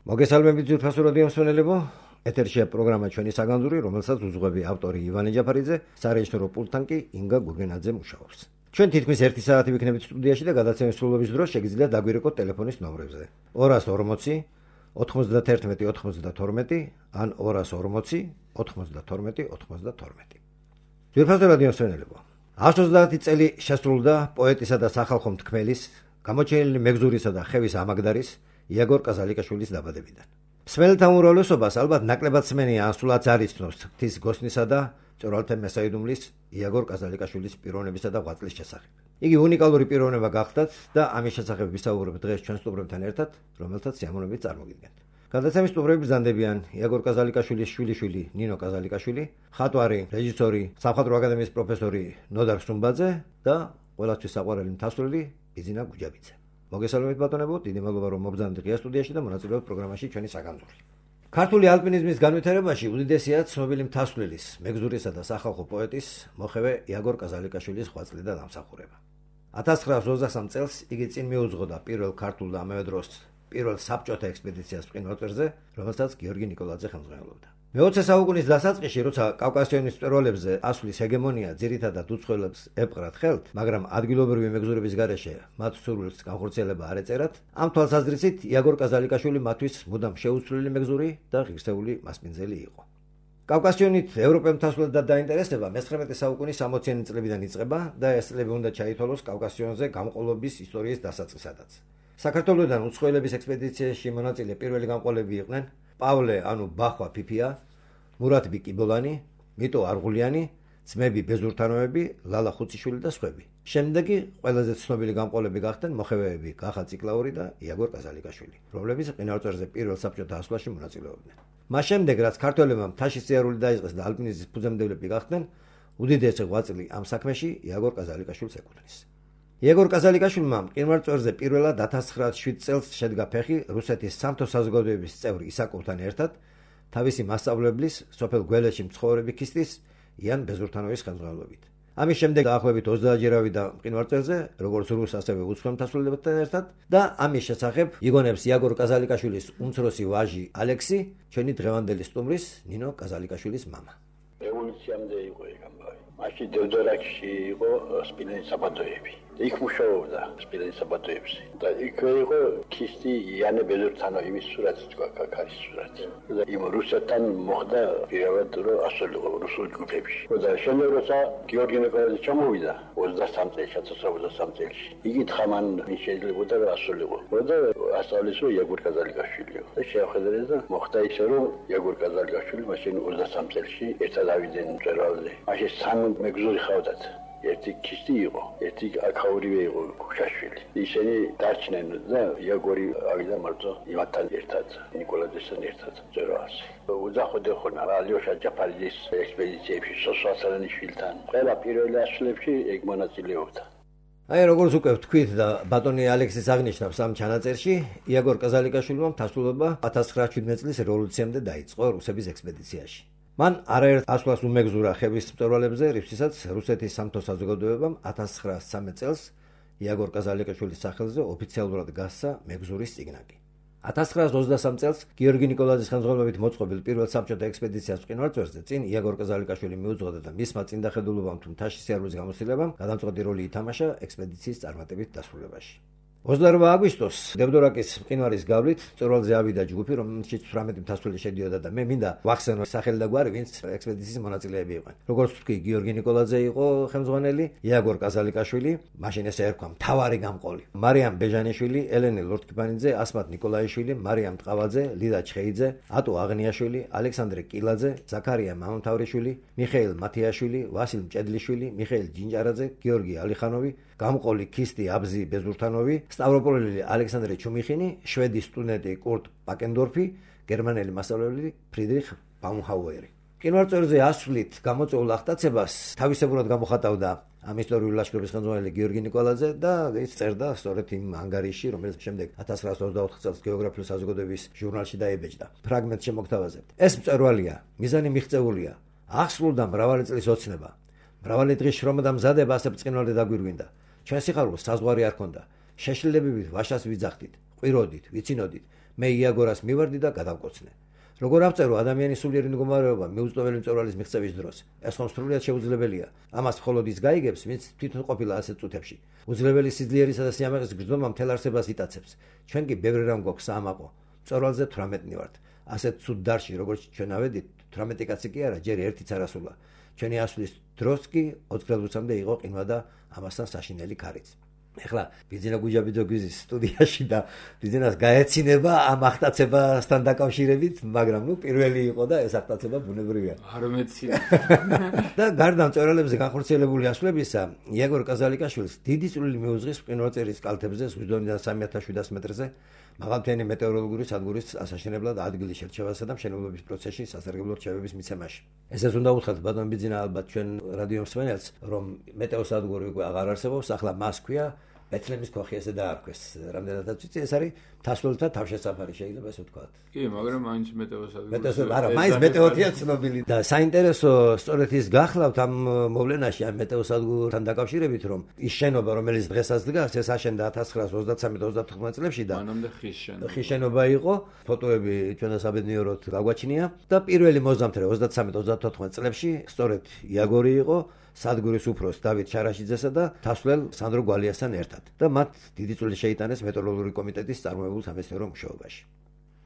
მოგესალმებით ძვირფასო რადიო მსმენელებო, ეთერშია პროგრამა ჩვენი საგანძური, რომელსაც უძღვები ავტორი ივანე ჯაფარიძე, სარეჟისორო პულტთან კი ინგა გურგენაძე მუშაობს. ჩვენ თითქმის 1 საათი ვიქნებით სტუდიაში და გადაცემის სრულობის დროს შეგიძლიათ დაგვირეკოთ ტელეფონის ნომრებზე 240 91 92 ან 240 92 92. ძვირფასო რადიო მსმენელებო, 130 წელი შესრულდა პოეტისა და სახალხო მთქმელის, გამოჩენილი მეგზურისა და ხევის ამაგდარის იაგორ კაზალიკაშვილის დაბადებიდან. მსმენელთა უმრავლესობას ალბათ ნაკლებად სმენია ან სულაც არ იცნობს ღვთის გოსნისა და მწვერვალთა მესაიდუმლის იაგორ კაზალიკაშვილის პიროვნებისა და ღვაწლის შესახებ. იგი უნიკალური პიროვნება გახდათ და ამის შესახებ ვისაუბრებთ დღეს ჩვენ სტუმრებთან ერთად, რომელთაც სიამოვნებით წარმოგიდგენთ. გადაცემის სტუმრები ბრძანდებიან იაგორ კაზალიკაშვილის შვილიშვილი ნინო კაზალიკაშვილი, მხატვარი, რეჟისორი, სამხატვრო აკადემიის პროფესორი ნოდარ სუმბაძე და ყველასთვის საყვარელი მთასვლელი ბიზინა გუჯაბიძე. მოგესალმებით ბატონებო, დიდი მადლობა რომ მობრძანეთ ღია სტუდიაში და მონაწილეობთ პროგრამაში ჩვენი საგანძური. ქართული ალპინიზმის განვითარებაში უდიდესია ცნობილი მთასვლილის, მეგზურისა და სახალხო პოეტის მოხევე იაგორ კაზალიკაშვილის ღვაწლი და დამსახურება. 1923 წელს იგი წინ მიუძღოდა პირველ ქართულ და ამავე დროს პირველ საბჭოთა ექსპედიციას მყინვარწვერზე, რომელსაც გიორგი ნიკოლაძე ხელმძღვანელობდა. მე-20 საუკუნის დასაწყისში, როცა კავკასიონის მწვერვალებზე ასვლის ჰეგემონია ძირითადად უცხოელებს ეპყრათ ხელთ, მაგრამ ადგილობრივი მეგზურების გარეშე მათ სურვილს განხორციელება არ ეწერათ, ამ თვალსაზრისით იაგორ კაზალიკაშვილი მათთვის მუდამ შეუცვლელი მეგზური და ღირსეული მასპინძელი იყო. კავკასიონით ევროპელ მთასვლად დაინტერესება მე-19 საუკუნის 60-იანი წლებიდან იწყება და ეს წლები უნდა ჩაითვალოს კავკასიონზე გამყოლობის ისტორიის დასაწყისადაც. საქართველოსთან უცხოელების ექსპედიციაში მონაწილე პირველი გამყოლები იყვნენ პავლე ანუ ბახვა ფიფია, მურატბი კიბოლანი, მიტო არღულიანი, ძმები ბეზურთანოები, ლალა ხუციშვილი და სხვები. შემდეგი ყველაზე ცნობილი გამყოლები გახდნენ მოხევეები გახა ციკლაური და იაგორ კაზალიკაშვილი, რომლებიც მყინვარწვერზე პირველ საბჭოთა ასვლაში მონაწილეობდნენ. მას შემდეგ, რაც ქართველებმა მთაში სიარული დაიწყეს და ალპინიზმის ფუძემდებლები გახდნენ, უდიდესი ღვაწლი ამ საქმეში იაგორ კაზალიკაშვილს ეკუთვნის. იაგორ კაზალიკაშვილმა მყინვარწვერზე პირველად 1907 წელს შედგა ფეხი რუსეთის სამთო საზოგადოების წევრი ისაკოვთან ერთად, თავისი მასწავლებლის, სოფელ გველეში მცხოვრები ქისტის იან ბეზურთანოვის ხელმძღვანელობით. ამის შემდეგ დაახლოებით 30 ჯერ ავიდა მყინვარწვერზე, როგორც რუს, ასევე უცხოელ მთასვლილებთან ერთად და ამის შესახებ იგონებს იაგორ კაზალიკაშვილის უმცროსი ვაჟი ალექსი, ჩვენი დღევანდელი სტუმრის ნინო კაზალიკაშვილის მამა. რევოლუციამდე იყო ეგ ამბავი. მაშინ დევდორაკში იყო სპილენის საბადოები. იქ მუშაობდა სპილენის საბადოებში და იქ იყო ქისტი იანე ბეზურთანოვის სურათი, კაკარის სურათი. და იმ რუსეთთან მოხდა პირველად რომ ასულიყო რუსულ ჯგუფებში. და შემდეგ როცა გიორგი ნიკოლაძე ჩამოვიდა 23 წელს, 1923 წელს, იგი თხამან შეიძლება რომ ასულიყო. და ასწავლის რომ იაგორ კაზალიკაშვილიო. და შეახედეს და მოხდა ისე რომ იაგორ კაზალიკაშვილი მაშინ 23 წელში ერთად ავიდნენ მწვერვალზე. მაშინ სამი მეგზური ხავდათ. ერთი ქისტი იყო, ერთი აქაურივე იყო ქუშაშვილი. ისინი დარჩნენ და იაგორი ავიდა მარტო იმათთან ერთად, ნიკოლაძესთან ერთად მწვერვალზე. უძახოდე ხონა ალიოშა ჯაფარიძის ექსპედიციებში, სოსვასალანიშვილთან. ყველა პირველ ასვლებში ეგ მონაწილეობდა. აი როგორც უკვე ვთქვით და ბატონი ალექსის აღნიშნავს ამ ჩანაწერში, იაგორ კაზალიკაშვილმა მთასვლობა 1917 წლის რევოლუციამდე დაიწყო რუსების ექსპედიციაში. მან არაერთ ასვლას უმეგზურა ხევის მწვერვალებზე, რისთვისაც რუსეთის სამთო საზოგადოებამ 1913 წელს იაგორ კაზალიკაშვილის სახელზე ოფიციალურად გასცა მეგზურის წიგნაკი. 1923 წელს გიორგი ნიკოლაძის ხელმძღვანელობით მოწყობილ პირველ საბჭოთა ექსპედიციას მყინვარწვერზე წინ იაგორ კაზალიკაშვილი მიუძღოდა და მისმა წინდახედულობამ თუ მთაში სიარულის გამოცდილებამ გადამწყვეტი როლი ითამაშა ექსპედიციის წარმატებით დასრულებაში. 28 აგვისტოს დევდორაკის მყინვარის გავლით მწვერვალზე ავიდა ჯგუფი, რომელშიც 18 მთასვლელი შედიოდა და მე მინდა ვახსენო სახელი და გვარი, ვინც ექსპედიციის მონაწილეები იყვნენ. როგორც ვთქვი, გიორგი ნიკოლაძე იყო ხელმძღვანელი, იაგორ კაზალიკაშვილი, მაშინ ესე ერქვა მთავარი გამყოლი, მარიამ ბეჟანიშვილი, ელენე ლორთქიფანიძე, ასმათ ნიკოლაიშვილი, მარიამ ტყავაძე, ლიდა ჩხეიძე, ატო აღნიაშვილი, ალექსანდრე კილაძე, ზაქარია მამამთავრიშვილი, მიხეილ მათიაშვილი, ვასილ მჭედლიშვილი, მიხეილ ჯინჯარაძე, გიორგი ალიხანოვი, გამყოლი ქისტი აბზი ბეზურთანოვი, სტავროპოლელი ალექსანდრე ჩუმიხინი, შვედი სტუდენტი კურტ პაკენდორფი, გერმანელი მასწავლებელი ფრიდრიხ ბაუმჰაუერი. მყინვარწვერზე ასვლით გამოწვეულ აღტაცებას თავისებურად გამოხატავდა ამ ისტორიული ლაშქრობის ხელმძღვანელი გიორგი ნიკოლაძე და ის წერდა სწორედ იმ ანგარიში, რომელიც შემდეგ 1924 წელს გეოგრაფიული საზოგადოების ჟურნალში დაიბეჭდა. ფრაგმენტს შემოგთავაზებთ. ეს მწვერვალია, მიზანი მიღწეულია. ახსნულდა მრავალი წლის ოცნება. მრავალი დღის შრომა და მზადება ასე ბრწყინვალე დაგვირგვინდა. ჩვენ სიხარულს საზღვარი არ ქონდა. შეშლილებებით ვაშას ვიძახდით, ყვიროდით, ვიცინოდით. მე იაგორას მივარდი და გადავკოცნე. როგორ ავწერო ადამიანის სულიერი მდგომარეობა მიუწვდომელი მწვერვალის მიღწევის დროს? ეს ხომ სრულიად შეუძლებელია. ამას მხოლოდ ის გაიგებს, ვინც თვითონ ყოფილა ასეთ წუთებში. უძლებელი სიძლიერისა და სიამაყის გრძნობა მთელ არსებას იტაცებს. ჩვენ კი ბევრი რამ გვაქვს საამაყო. მწვერვალზე 18-ნი ვართ. ასეთ ცუდ დარში, როგორც ჩვენ ავედით, 18 კაცი კი არა, ჯერ ერთიც არ ასულა. ჩვენი ასვლის დროს კი 20 გრადუსამდე იყო ყინვა და ამასთან საშინელი ქარიც. ეხლა ბიძინა გუჯაბიძოგის სტუდიაში და ბიძინას გაეცინება ამ ახტაცებასთან დაკავშირებით, მაგრამ პირველი იყო და ეს ახტაცება ბუნებრივია. არ მეცინა. და გარდა მწვერვალებზე განხორციელებული ასვლებისა, იაგორ კაზალიკაშვილს დიდი წვლილი მიუძღვის მყინვარწერის კალთებზე ზღუდონიდან 3700 მეტრზე მაღალმთიანი მეტეოროლოგიური სადგურის ასაშენებლად ადგილის შერჩევასა და მშენებლობის პროცესში სასარგებლო რჩევების მიცემაში. ესეც უნდა უთხრათ ბატონ ბიძინა ალბათ ჩვენ რადიო მსმენელს, რომ მეტეოსადგური უკვე აღარ არსებობს, ახლა მას ქვია ბეთლემის ქოხი ესე დაარქვეს. რამდენადაც ვიცი, ეს არის თასვლელთა თავშესაფარი, შეიძლება ესე ვთქვათ. კი, მაგრამ მაინც მეტეოსადგური. არა, მაინც მეტეოთია ცნობილი. და საინტერესო სწორედ ის გახლავთ ამ მოვლენაში, ამ მეტეოსადგურთან დაკავშირებით, რომ ის შენობა, რომელიც დღესაც დგას, ეს აშენდა 1933-34 წლებში და მანამდე ხის შენობა. ხის შენობა იყო, ფოტოები ჩვენ საბედნიეროდ გაგვაჩნია და პირველი მოზამთრე 33-34 წლებში სწორედ იაგორი იყო სადგურის უფროს დავით შარაშიძესა და თასვლელ სანდრო გვალიასთან ერთად და მათ დიდი წვლილი შეიტანეს მეტეოროლოგიური კომიტეტის წარმოებულ სამეცნიერო მუშაობაში.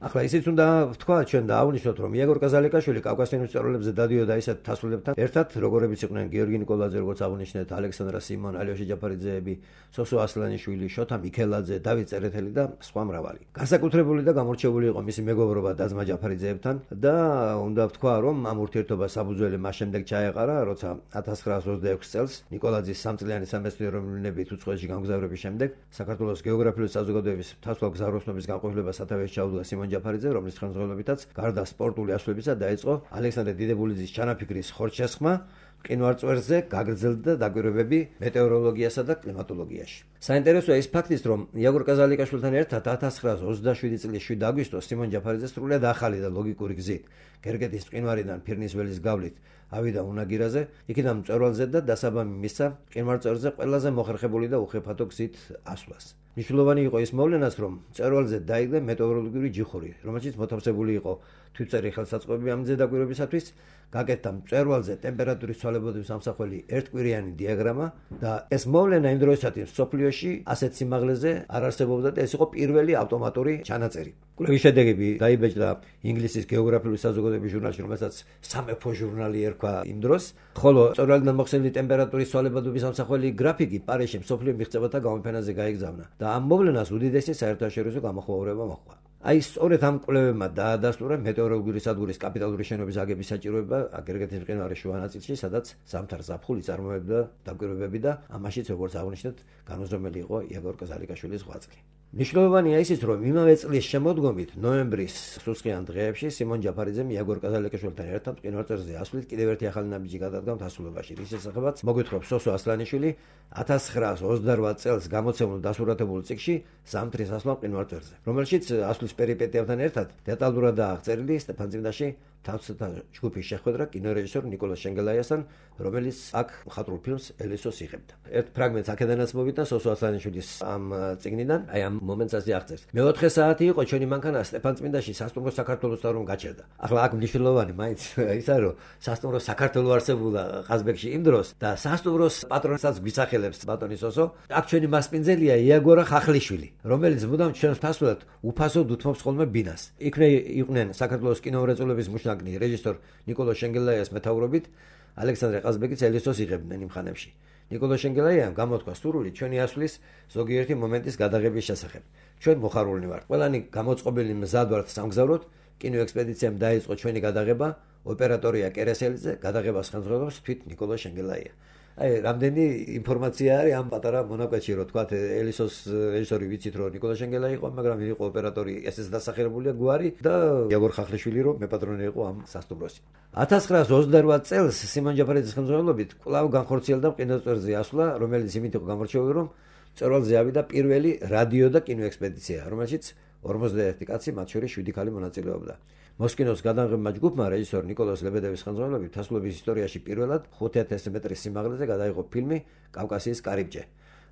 ახლა ისიც უნდა ვთქვა ჩვენ და აღვნიშნოთ, რომ იაგორ კაზალიკაშვილი კავკასიონის მწვერვალებზე დადიოდა ისეთ თასვლებთან ერთად, როგორებიც იყვნენ გიორგი ნიკოლაძე, როგორც აღვნიშნეთ, ალექსანდრა სიმონ, ალიოშა ჯაფარიძეები, სოსო ასლანიშვილი, შოთა მიქელაძე, დავით წერეთელი და სხვა მრავალი. განსაკუთრებული და გამორჩეული იყო მისი მეგობრობა დაძმა ჯაფარიძეებთან და უნდა ვთქვა, რომ ამ ურთიერთობას საფუძველი მას შემდეგ ჩაეყარა, როცა 1926 წელს ნიკოლაძის სამწლიანი სამეცნიერო მილიონებით უცხოეთში გამგზავრების შემდეგ საქართველოს გეოგრაფიული საზოგადოების თასვლელ გზავროსნობის განყოფილებას სათავეში ჩაუდგა სიმონ ჯაფარიძე, რომლის ხელმძღვანელობითაც გარდა სპორტული ასვლებისა დაიწყო ალექსანდრე დიდებულიძის ჩანაფიქრის ხორჩესხმა მყინვარწვერზე გაგრძელდა დაკვირვებები მეტეოროლოგიასა და კლიმატოლოგიაში. საინტერესოა ის ფაქტიც, რომ იაგორ კაზალიკაშვილთან ერთად 1927 წლის 7 აგვისტოს სიმონ ჯაფარიძე სრულიად ახალი და ლოგიკური გზით გერგეთის მყინვარიდან ფირნის ველის გავლით ავიდა უნაგირაზე, იქიდან მწვერვალზე და დასაბამი მისცა მყინვარწვერზე ყველაზე მოხერხებული და უხეფათო გზით ასვლას. მნიშვნელოვანი იყო ის მოვლენაც, რომ მწვერვალზე დაიგდა მეტეოროლოგიური ჯიხური, რომელშიც მოთავსებული იყო თვითწერი ხელსაწყოები ამ მზე დაკვირვებისათვის, გაკეთდა მწვერვალზე ტემპერატურის ცვალებადობის ამსახველი ერთკვირიანი დიაგრამა და ეს მოვლენა იმ დროისათვის მსოფლიოში ასეთ სიმაღლეზე არ არსებობდა და ეს იყო პირველი ავტომატური ჩანაწერი. კვლევის შედეგები დაიბეჭდა ინგლისის გეოგრაფიული საზოგადოების ჟურნალში, რომელსაც სამეფო ჟურნალი ერქვა იმ დროს, ხოლო მწვერვალიდან მოხსენილი ტემპერატურის ცვალებადობის ამსახველი გრაფიკი პარიზში მსოფლიო მიღწევათა გამოფენაზე გაიგზავნა და ამ მოვლენას უდიდესი საერთაშორისო გამოხმაურება მოჰყვა. აი სწორედ ამ კვლევებმა დაადასტურა მეტეოროლოგიური სადგურის კაპიტალური შენობის აგების საჭიროება გერგეთის მყინვარის შუა ნაწილში, სადაც ზამთარ ზაფხული წარმოებდა დაკვირვებები და ამაშიც, როგორც აღვნიშნეთ, განუზომელი იყო იაგორ კაზალიკაშვილის ღვაწლი. მნიშვნელოვანია ისიც, რომ იმავე წლის შემოდგომით, ნოემბრის სუსხიან დღეებში სიმონ ჯაფარიძემ იაგორ კაზალიკაშვილთან ერთად მყინვარწვერზე ასვლით კიდევ ერთი ახალი ნაბიჯი გადადგა თასვლებაში, რის შესახებაც მოგვითხრობს სოსო ასლანიშვილი 1928 წელს გამოცემულ დასურათებულ წიგნში ზამთრის ასვლა მყინვარწვერზე, რომელშიც ასვლის პერიპეტიებთან ერთად დეტალურადაა აღწერილი სტეფანწმინდაში თავსათა ჯგუფის შეხვედრა კინორეჟისორ ნიკოლას შენგელაიასთან, რომელიც აქ მხატვრულ ფილმს ელისოს იღებდა. ერთ ფრაგმენტს აქედანაც მოვიდა სოსო ასლანიშვილის ამ წიგნიდან, აი ამ მომენტს ასე აღწერს. მეოთხე საათი იყო ჩვენი მანქანა სტეფანწმინდაში სასტუმრო საქართველოსთან რომ გაჩერდა. ახლა აქ მნიშვნელოვანი მაინც ისა რომ სასტუმრო საქართველო არსებულა ყაზბეგში იმ დროს და სასტუმროს პატრონსაც გვისახელებს ბატონი სოსო. აქ ჩვენი მასპინძელია იაგორა ხახლიშვილი, რომელიც მუდამ ჩვენს თასვლად უფასოდ უთმობს ხოლმე ბინას. იქნე იყვნენ საქართველოს კინომრეწველობის მუშნაკნი რეჟისორ ნიკოლოს შენგელაიას მეთაურობით ალექსანდრე ყაზბეგიც ელისოს იღებდნენ იმ ხანებში. ნიკოლოს შენგელაიამ გამოთქვა სურვილი ჩვენი ასვლის ზოგიერთი მომენტის გადაღების შესახებ. ჩვენ მოხარულნი ვართ. ყველანი გამოწყობილი მზად ვართ სამგზავროდ, კინოექსპედიციამ დაიწყო ჩვენი გადაღება, ოპერატორია კერესელიძე, გადაღებას ხელმძღვანელობს თვით ნიკოლოს შენგელაია. აი, რამდენი ინფორმაცია არის ამ პატარა მონაკვეთში, რომ თქვათ ელისოს რეჟისორი ვიცით, რომ ნიკოლას შენგელაია იყო, მაგრამ იყო ოპერატორი, ესეც დასახელებულია გვარი და იაგორ ხახლიშვილი, რომ მეპატრონე იყო ამ სასტუმროში. 1928 წელს სიმონ ჯაფარიძის ხელმძღვანელობით კვლავ განხორციელდა მყინვარწვერზე ასვლა, რომელიც იმით იყო გამორჩეული, რომ მწვერვალზე ავიდა პირველი რადიო და კინოექსპედიცია, რომელშიც 51 კაცი, მათ შორის 7 ქალი მონაწილეობდა. მოსკინოს გადაღებმა ჯგუფმა რეჟისორ ნიკოლას ლებედევის ხელმძღვანელობით თასვლების ისტორიაში პირველად 5000 მეტრის სიმაღლეზე გადაიღო ფილმი კავკასიის კარიბჭე,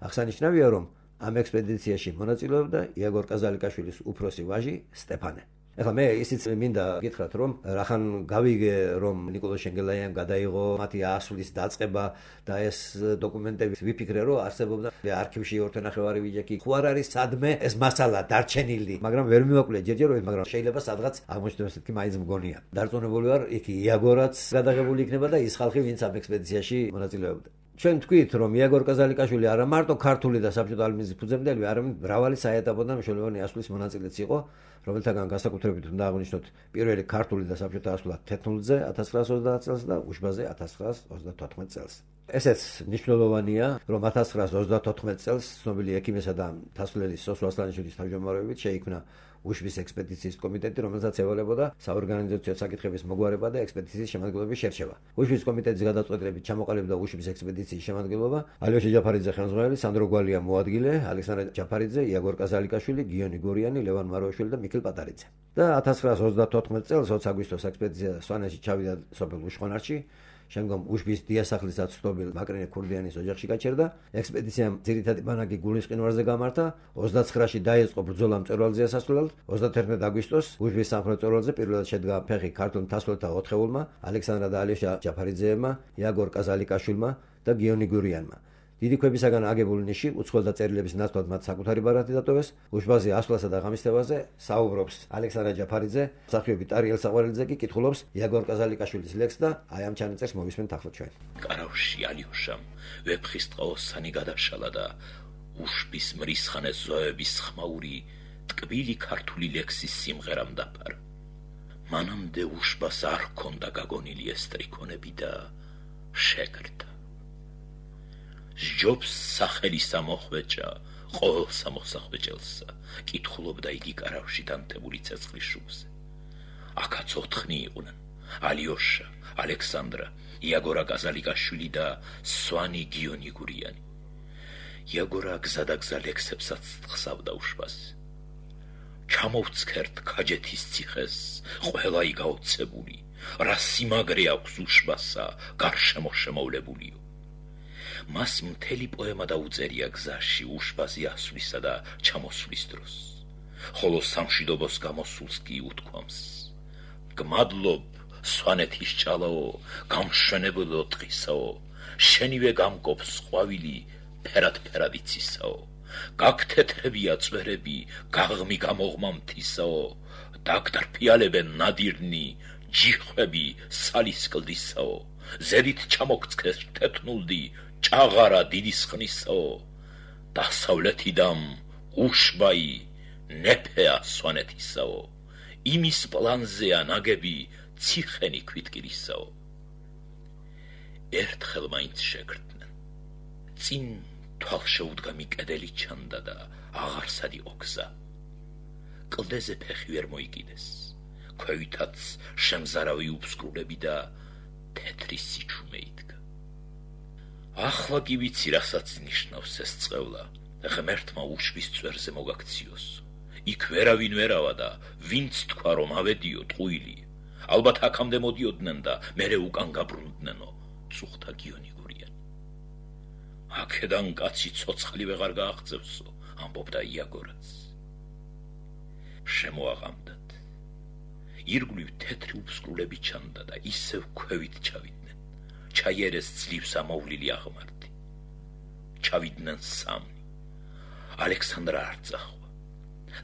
აღსანიშნავია, რომ ამ ექსპედიციაში მონაწილეობდა იაგორ კაზალიკაშვილის უფროსი ვაჟი სტეფანე. ეხლა მე ისიც მინდა გითხრათ, რომ რახან გავიგე, რომ ნიკოლოზ შენგელაიამ გადაიღო მათი ასვლის დაწყება და ეს დოკუმენტები ვიფიქრე, რომ არსებობდა არქივში ორთენახევარი ვიჯექი. ხო არ არის სადმე ეს მასალა დარჩენილი, მაგრამ ვერ მივაკვლიე ჯერჯერობით, მაგრამ შეიძლება სადღაც აღმოჩნდეს, თქი მაინც მგონია. დარწმუნებული ვარ, იქ იაგორაც გადაღებული იქნება და ის ხალხი, ვინც ამ ექსპედიციაში მონაწილეობდა. ჩვენ თქვით, რომ იაგორ კაზალიკაშვილი არა მარტო ქართული და საბჭოთა ალმიზის ფუძემდელი, არამედ მრავალი საეტაპო და მნიშვნელოვანი ასვლის მონაწილეც იყო, რომელთაგან განსაკუთრებით უნდა აღვნიშნოთ პირველი ქართული და საბჭოთა ასვლა თეთნულზე 1930 წელს და უშბაზე 1934 წელს. ესეც მნიშვნელოვანია, რომ 1934 წელს ცნობილი ექიმესა და მთასვლელი სოსო ასლანიშვილის თავმჯდომარეობით შეიქმნა უშბის ექსპედიციის კომიტეტი, რომელსაც ევალებოდა საორგანიზაციო საკითხების მოგვარება და ექსპედიციის შემადგენლობის შერჩევა. უშბის კომიტეტის გადაწყვეტილებით ჩამოყალიბდა უშბის ექსპედიციის შემადგენლობა ალიოშა ჯაფარიძე ხელმძღვანელი, სანდრო გვალია მოადგილე, ალექსანდრე ჯაფარიძე, იაგორ კაზალიკაშვილი, გიონი გურიანი, ლევან მაროაშვილი და მიქელ პატარიძე. და 1934 წელს 20 აგვისტოს ექსპედიცია სვანეთში ჩავიდა სოფელ უშხონარში. შემდგომ უშბის დიასახლისად ცნობილ მაკრინე ქურდიანის ოჯახში გაჩერდა. ექსპედიციამ ძირითადი ბანაკი გულის მყინვარზე გამართა. 29-ში დაიწყო ბრძოლა მწვერვალზე ასასვლელად. 31 აგვისტოს უშბის სამხრეთ მწვერვალზე პირველად შედგა ფეხი ქართულ მთასვლელთა 4-ეულმა, ალექსანდრა და ალიოშა ჯაფარიძეებმა, იაგორ კაზალიკაშვილმა და გიონი გურიანმა. დიდი ქვებისაგან აგებული ნიში უცხოელთა წერილების ნაცვლად მათ საკუთარი ბარათი დატოვეს. უშბაზე ასვლასა და ღამისთევაზე საუბრობს ალექსანდრა ჯაფარიძე, მსახიობი ტარიელ საყვარელიძე კი კითხულობს იაგორ კაზალიკაშვილის ლექსს და აი ამ ჩანაწერს მოვისმენთ ახლა ჩვენ. კარავში ალიოშამ ვეფხისტყაოსანი გადაშალა და უშბის მრისხანე ზოების ხმაური ტკბილი ქართული ლექსის სიმღერამ დაფარა. მანამდე უშბას არ ჰქონდა გაგონილი ეს ტრიქონები და შეგრდა. ჯობს სახელის ამოხვეჭა, ყოველ სამოსახვეჭელსა, კითხულობდა იგი კარავში დანთებული ცეცხლის შუბზე. აქაც 4 იყვნენ, ალიოშა, ალექსანდრა, იაგორა კაზალიკაშვილი და სვანი გიონი გურიანი. იაგორა გზადაგზა ლექსებსაც თხსავდა უშბაზე. ჩამოვცქერთ ქაჯეთის ციხეს, ყველა იგაოცებული, რა სიმაგრე აქვს უშბასა, გარშემო შემოვლებულიო. მას მთელი პოემა დაუწერია გზაში უშბაზე ასვლისა და ჩამოსვლის დროს. ხოლო სამშვიდობოს გამოსულს კი უთქვამს: გმადლობ, სვანეთის ჭალაო, გამშვენებელო ტყისაო, შენივე გამკობს ყვავილი, ფერად იცისაო, გაგთეთრებია წვერები, გაღმი გამოღმა მთისაო, დაგდარფიალებენ ნადირნი, ჯიხვები სალის კლდისაო, ზედით ჩამოგცქეს თეთნულდი, ჭაღარა დიდის ხნისაო, დასავლეთიდამ უშბაი ნეფეა სვანეთისაო, იმის პლანზეა ნაგები ციხენი ქვითკირისაო. ერთხელ მაინც შეგრდნენ. წინ თვალშეუდგამი კედელი ჩანდა და აღარსად იყო გზა. კლდეზე ფეხი ვერ მოიკიდეს, ქვევითაც შემზარავი უფსკრულები და თეთრი სიჩუმე იდგა. ახლა კი ვიცი, რასაც ნიშნავს ეს წყევლა, ღმერთმა უშბის წვერზე მოგაქციოს. იქ ვერავინ ვერავა და ვინც თქვა, რომ ავედიო ტყუილი, ალბათ აქამდე მოდიოდნენ და მერე უკან გაბრუნდნენო, წუხდა გიონი გურიანი. აქედან კაცი ცოცხალი ვეღარ გააღწევსო, ამბობდა იაგორაც. შემოაღამდათ. ირგვლივ თეთრი უფსკრულები ჩანდა და ისევ ქვევით ჩავიდნენ. ჩაიერეს ძლივს ამოვლილი აღმართი. ჩავიდნენ 3. ალექსანდრა არ წახვა.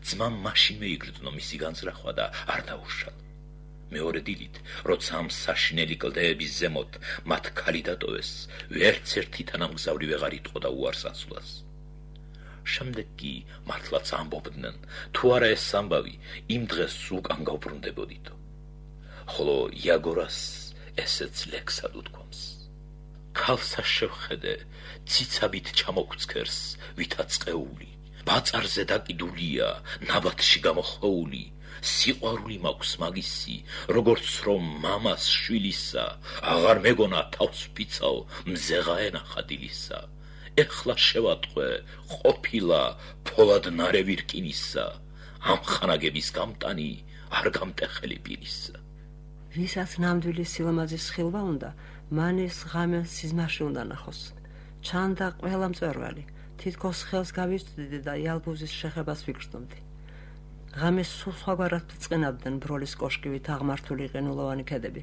ძმამ მაშინვე იგრძნო მისი განზრახვა და არ დაუშალა. მეორე დილით, როცა ამ საშინელი კლდეების ზემოთ მათ ქალი დატოვეს, ვერც ერთი თანამგზავრი ვეღარ იტყოდა უარს ასვლას. შემდეგ კი მართლაც ამბობდნენ, თუ არა ეს ამბავი იმ დღეს უკან გავბრუნდებოდითო. ხოლო იაგორას ესეც ლექსად უთქვამს: ქალსა შევხედე, ციცაბით ჩამოგცქერს, ვითაც ყეული, ბაწარზე დაკიდულია, ნაბათში გამოხვეული, სიყვარული მაქვს მაგისი, როგორც რომ მამას შვილისა, აღარ მეგონა თავს ფიცაო, მზეღა ენახა დილისა. ეხლა შევატყვე, ყოფილა ფოლად ნარევი რკინისა, ამხანაგების გამტანი, არ გამტეხელი პირისა. ვისაც ნამდვილი სილამაზის ხილვა უნდა, მან ეს ღამე სიზმარში უნდა ნახოს. ჩანდა ყველა მწვერვალი, თითქოს ხელს გავიწვდიდი და იალბუზის შეხებას ვიგრძნობდი. ღამეს სულ სხვაგვარად ბრწყინავდნენ ბროლის კოშკივით აღმართული ყინულოვანი ქედები.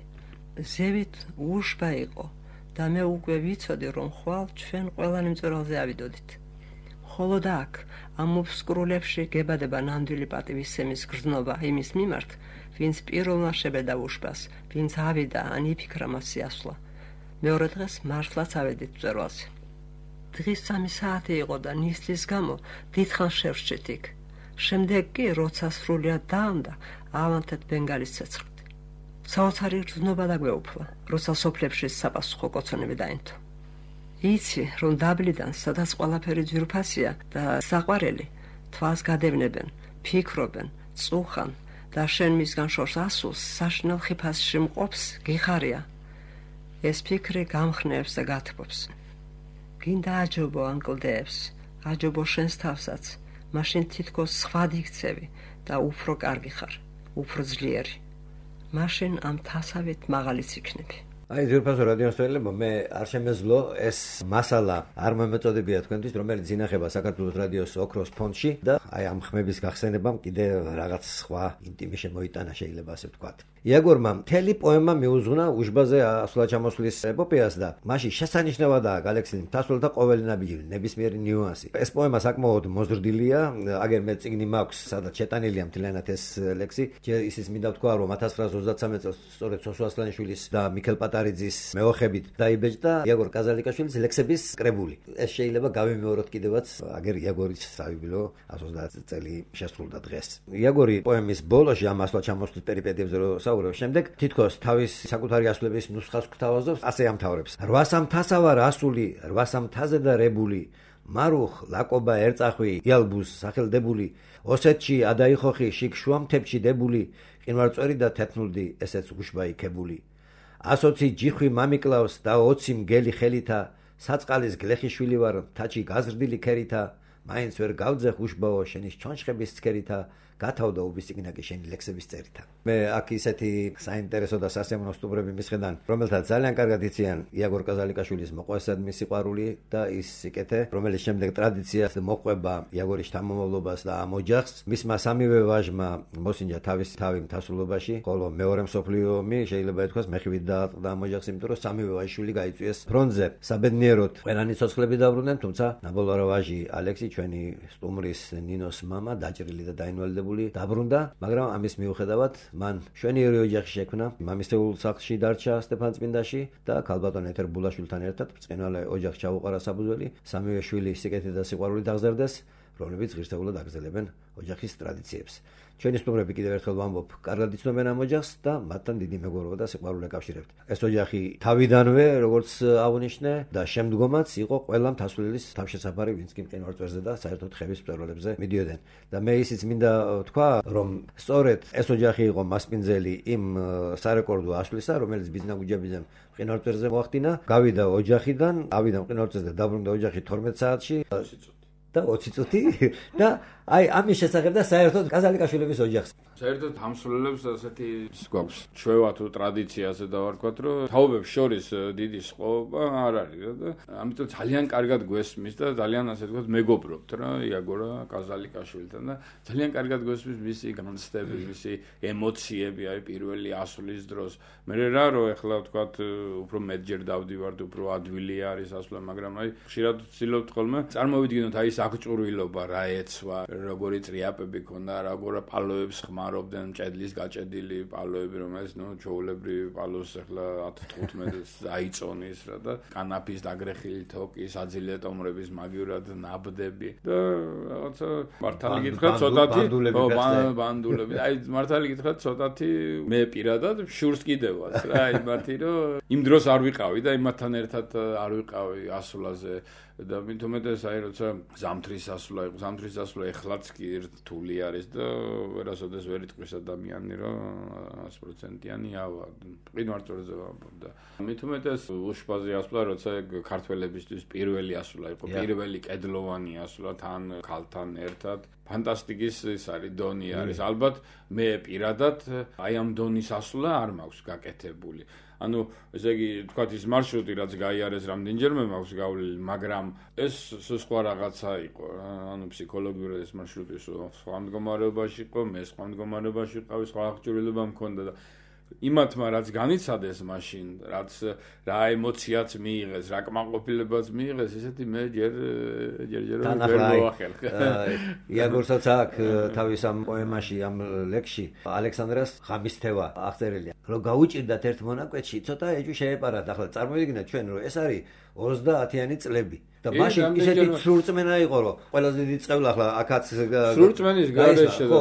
ზევით უშბა იყო და მე უკვე ვიცოდი, რომ ხვალ ჩვენ ყველანი მწვერვალზე ავიდოდით. ხოლო და აქ, ამ უბსკრულებში გებადება ნამდვილი პატივისცემის გრძნობა იმის მიმართ, ვინც პირველმა შებედა უშბას, ვინც ავიდა ან იფიქრა მასზე ასვლა. მეორე დღეს მართლაც ავედით მწვერვალზე. დღის 3 საათი იყო და ნისლის გამო დიდხანს შევსჭით იქ. შემდეგ კი, როცა სრულიად დაამდა, ავანთეთ ბენგალის ცეცხლით. საოცარი გრძნობა დაგვეუფლა, როცა სოფლებში საპასუხო კოცონები დაინთო. იცი, რომ დაბლიდან, სადაც ყველაფერი ძვირფასია და საყვარელი, თვალს გადევნებენ, ფიქრობენ, წუხან და შენ მისგან შორს ასულს საშინელ ხიფასში მყოფს, გიხარია. ეს ფიქრი გამხნევს და გათბობს. გინდა აჯობო ანკლდეებს, აჯობო შენს თავსაც, მაშინ თითქოს სხვა იქცევი და უფრო კარგი ხარ, უფრო ძლიერი. მაშინ ამ თასავით მაღალიც იქნები. აი ძირფასო რადიოსმენელებო, მე არ შემეძლო ეს მასალა არ მომეწოდებია თქვენთვის, რომელიც ინახება საქართველოს რადიოს ოქროს ფონდში და აი ამ ხმების გახსენებამ კიდე რაღაც სხვა ინტიმი შემოიტანა, შეიძლება ასე ვთქვათ. იაგორმა მთელი პოემა მიუძღვნა უშბაზე ასვლა ჩამოსვლის ეპოპეას და მასში შესანიშნავადაა გალექსილი მთასვლელთა ყოველი ნაბიჯი, ნებისმიერი ნიუანსი. ეს პოემა საკმაოდ მოზრდილია, აგერ მე წიგნი მაქვს, სადაც შეტანილია მთლიანად ეს ლექსი. ისიც მინდა ვთქვა, რომ 1923 წელს სწორედ სოსო ასლანიშვილის და მიქელ პატარიძის მეოხებით დაიბეჭდა იაგორ კაზალიკაშვილის ლექსების კრებული. ეს შეიძლება გავიმეოროთ კიდევაც, აგერ იაგორის საიუბილეო 130 წელი შესრულდა დღეს. იაგორი პოემის ბოლოში ამ ასვლა ჩამოსვლის პერიპეტიებზე შემდეგ თითქოს თავის საკუთარი ასვლების ნუსხას გვთავაზობს, ასე ამთავრებს. 800 თასა ვარ ასული, 800 თაზე და რებული, მარუხ ლაკობა ერწახვი, იალბუს სახელდებული, ოსეთში ადაიხოხი, შიგ შუამთებში დებული, ყინვარწვერი და თეთნულდი, ესეც უშბა იქებული. 120 ჯიხვი მამიკლავს და 20 მგელი ხელითა, საწყალის გლეხიშვილი ვარ, თაჩი გაზრდილი ქერითა, მაინც ვერ გავძეხ უშბაო შენის ჩონჩხების ცქერითა, გათავდა უბისიგნაკი შენი ლექსების წერითა. მე აქ ისეთი საინტერესო და სასიამოვნო სტუმრები მისხედან, რომელთაც ძალიან კარგად იციან იაგორ კაზალიკაშვილის მოყვესადმი სიყვარული და ის სიკეთე, რომელიც შემდეგ ტრადიციას მოყვება იაგორის შთამომავლობას და ამ ოჯახს. მისმა სამივე ვაჟმა მოსინჯა თავისი თავი მთასრულობაში, ხოლო მეორე მსოფლიო ომი შეიძლება ითქვას მეხივით დაატყდა ამ ოჯახს, იმიტომ რომ სამივე ვაჟიშვილი გაიწვიეს ფრონტზე. საბედნიეროდ ყველანი ცოცხლები დაბრუნდნენ, თუმცა ნაბოლარა ვაჟი ალექსი, ჩვენი სტუმრის ნინოს მამა, დაჭრილი და დაინვალიდებული დაბრუნდა, მაგრამ ამის მიუხედავად მან შვენიერი ოჯახი შექმნა, მამისეულ სახლში დარჩა სტეფანწმინდაში და ქალბატონ ეთერ ბულაშვილთან ერთად ბრწყინვალე ოჯახს ჩაუყარა საბუძველი, სამივე შვილი სიკეთით და სიყვარულით აღზარდეს, რომლებიც ღირსეულად აგრძელებენ ოჯახის ტრადიციებს. ჩვენი სტუმრები კიდევ ერთხელ ვამბობ, კარგად იცნობენ ამ ოჯახს და მათთან დიდი მეგობრობა და სიყვარული აკავშირებთ. ეს ოჯახი თავიდანვე, როგორც აღნიშნე და შემდგომაც იყო ყველა მთასვლილის თავშესაფარი, ვინც კი მყინვარწვერზე და საერთოდ ხევის მწვერვალებზე მიდიოდნენ. და მე ისიც მინდა ვთქვა, რომ სწორედ ეს ოჯახი იყო მასპინძელი იმ სარეკორდო ასვლისა, რომელიც ბიზნაგუჯაბიძემ მყინვარწვერზე მოახდინა. გავიდა ოჯახიდან, ავიდა მყინვარწვერზე და დაბრუნდა ოჯახი 12 საათში და 20 წუთი და აი ამის შესახებ და საერთოდ კაზალიკაშვილების ოჯახს. საერთოდ ამსვლელებს ასეთი გვაქვს ჩვევა თუ ტრადიციაზე დავარქვათ, რომ თაობებს შორის დიდი სყობა არ არის და ამიტომ ძალიან კარგად გვესმის და ძალიან ასე ვთქვათ მეგობრობთ რა იაგორა კაზალიკაშვილთან და ძალიან კარგად გვესმის მისი განცდები, მისი ემოციები აი პირველი ასვლის დროს. მე რა რომ ეხლა ვთქვათ უფრო მეტჯერ დავდივართ, უფრო ადვილი არის ასვლა, მაგრამ აი ხშირად ვცდილობთ ხოლმე წარმოვიდგინოთ აი ეს აღჭურვილობა რა ეცვა, როგორი წრიაპები ქონდა, როგორ პალოებს ხმარობდნენ, ჭედლის გაჭედილი პალოები, რომელიც ჩვეულებრივი პალოს ახლა 10-15-ს აიწონის რა და კანაფის დაგრეხილი თოკი, საძილე ტომრების მაგივრად ნაბდები და რაღაცა მართალი გითხრათ ცოტათი ბანდულები. აი მართალი გითხრათ ცოტათი მე პირადად შურს კიდევაც რა, იმათი რომ იმ დროს არ ვიყავი და იმათთან ერთად არ ვიყავი ასვლაზე. და მithumetes აი როცა ზამთრის ასვლა იყო, ზამთრის ასვლა ეხლაც კი რთული არის და ვერასოდეს ვერ იტყვის ადამიანი რომ 100%-იანი ავა ყინვარწვერზე ვამბობ და მithumetes უშბაზე ასვლა როცა ქართველებისთვის პირველი ასვლა იყო, პირველი კედლოვანი ასვლა თან ქალთან ერთად ფანტასტიკის ის არის დონი არის. ალბათ მე პირადად აი ამ დონის ასვლა არ მაქვს გაკეთებული. ანუ ესე იგი თქვათ ის მარშრუტი რაც გაიარეს რამდენჯერმე მაქვს გავლილი, მაგრამ ეს სხვა რაღაცა იყო. ანუ ფსიქოლოგიური ეს მარშრუტი სხვა მდგომარეობაში იყო, მე სხვა მდგომარეობაში ვიყავი, სხვა აღჭურვილობა მქონდა და იმათმა რაც განიცადეს მაშინ, რაც რა ემოციაც მიიღეს, რა კმაყოფილებაც მიიღეს, ესეთი მე ჯერ ვერ მოახერხე. იაგორსაც აქვს თავის ამ პოემაში, ამ ლექსში ალექსანდრას ღამის თევა აღწერილია. რომ გაუჭირდათ ერთ მონაკვეთში, ცოტა ეჭვი შეეპარათ. ახლა წარმოვიდგინეთ ჩვენ, რომ ეს არის 30-იანი წლები. და მაშინ ისეთი სრულწმენა იყო, რომ ყველაზე დიდი წყევლა ახლა აქაც სრულწმენის გარეშე და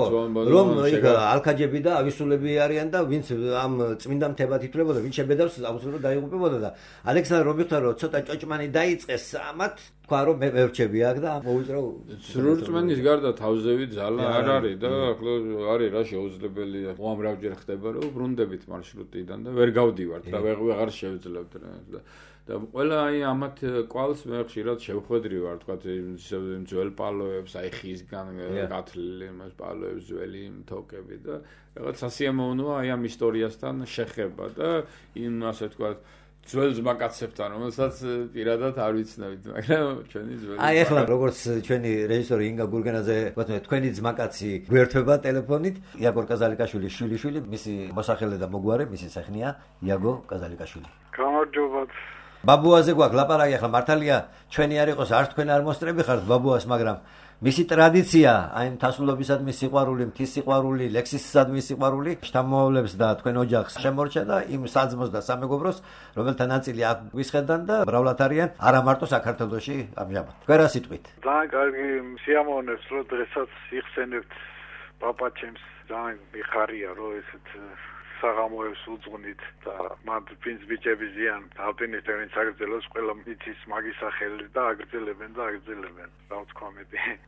რომ იქ ალქაჯები და ავისულები არიან და ვინც ამ წმინდა მთებად ითვლებოდა, ვინც შებედავს აუცილებლად დაიღუპებოდა და ალექსანდრე რომ მიხვდა რომ ცოტა ჭოჭმანი დაიწყეს ამათ თქვა რომ მე მერჩები აქ და მოუწრო სრულწმენის გარდა თავზევი ძალა არ არის და ახლა არის რა შეუძლებელია უამრავჯერ ხდება რომ ბრუნდებით მარშრუტიდან და ვერ გავდივართ და ვეღარ შევძლებთ და ყველა აი ამათ კვალს მე ხშირად შევხვედრი ვარ თქვა იმ ძველ პალოებს აი ხისგან გათლილი მას პალოებს ძველი თოკები და რაღაც სასიამოვნოა აი ამ ისტორიასთან შეხება და იმ ასე თქვა ძველ ძმაკაცებთან რომელსაც პირადად არ ვიცნებით მაგრამ ჩვენი ძველი აი ახლა როგორც ჩვენი რეჟისორი ინგა გურგენაძე ვთქვი თქვენი ძმაკაცი გვერდება ტელეფონით იაგორ კაზალიკაშვილი შვილიშვილი მისი მოსახელე და მოგვარე მისი სახნია იაგო კაზალიკაშვილი გამარჯობა ბაბუაზე გვაქვს ლაპარაკი ახლა მართალია ჩვენი არ იყოს არც თქვენ არ მოსწრები ხართ ბაბუას მაგრამ მისი ტრადიცია აი მთასულობისადმი სიყვარული მთის სიყვარული ლექსისადმი სიყვარული შთამომავლებს და თქვენ ოჯახს შემორჩა და იმ საძმოს და სამეგობროს რომელთა ნაწილი აქ გვისხედან და მრავლად არიან არა მარტო საქართველოში ამჟამად თქვენ რა სიტყვით ძალიან კარგი სიამოვნებს რომ დღესაც იხსენებთ პაპაჩემს ძალიან მიხარია რომ ესეთ საღამოებს უძღვნით და მათ ვინც ბიჭები ზიან ალპინისტები ვინც აგრძელოს ყველა იცის მაგის სახელი და აგრძელებენ რა ვთქვა მე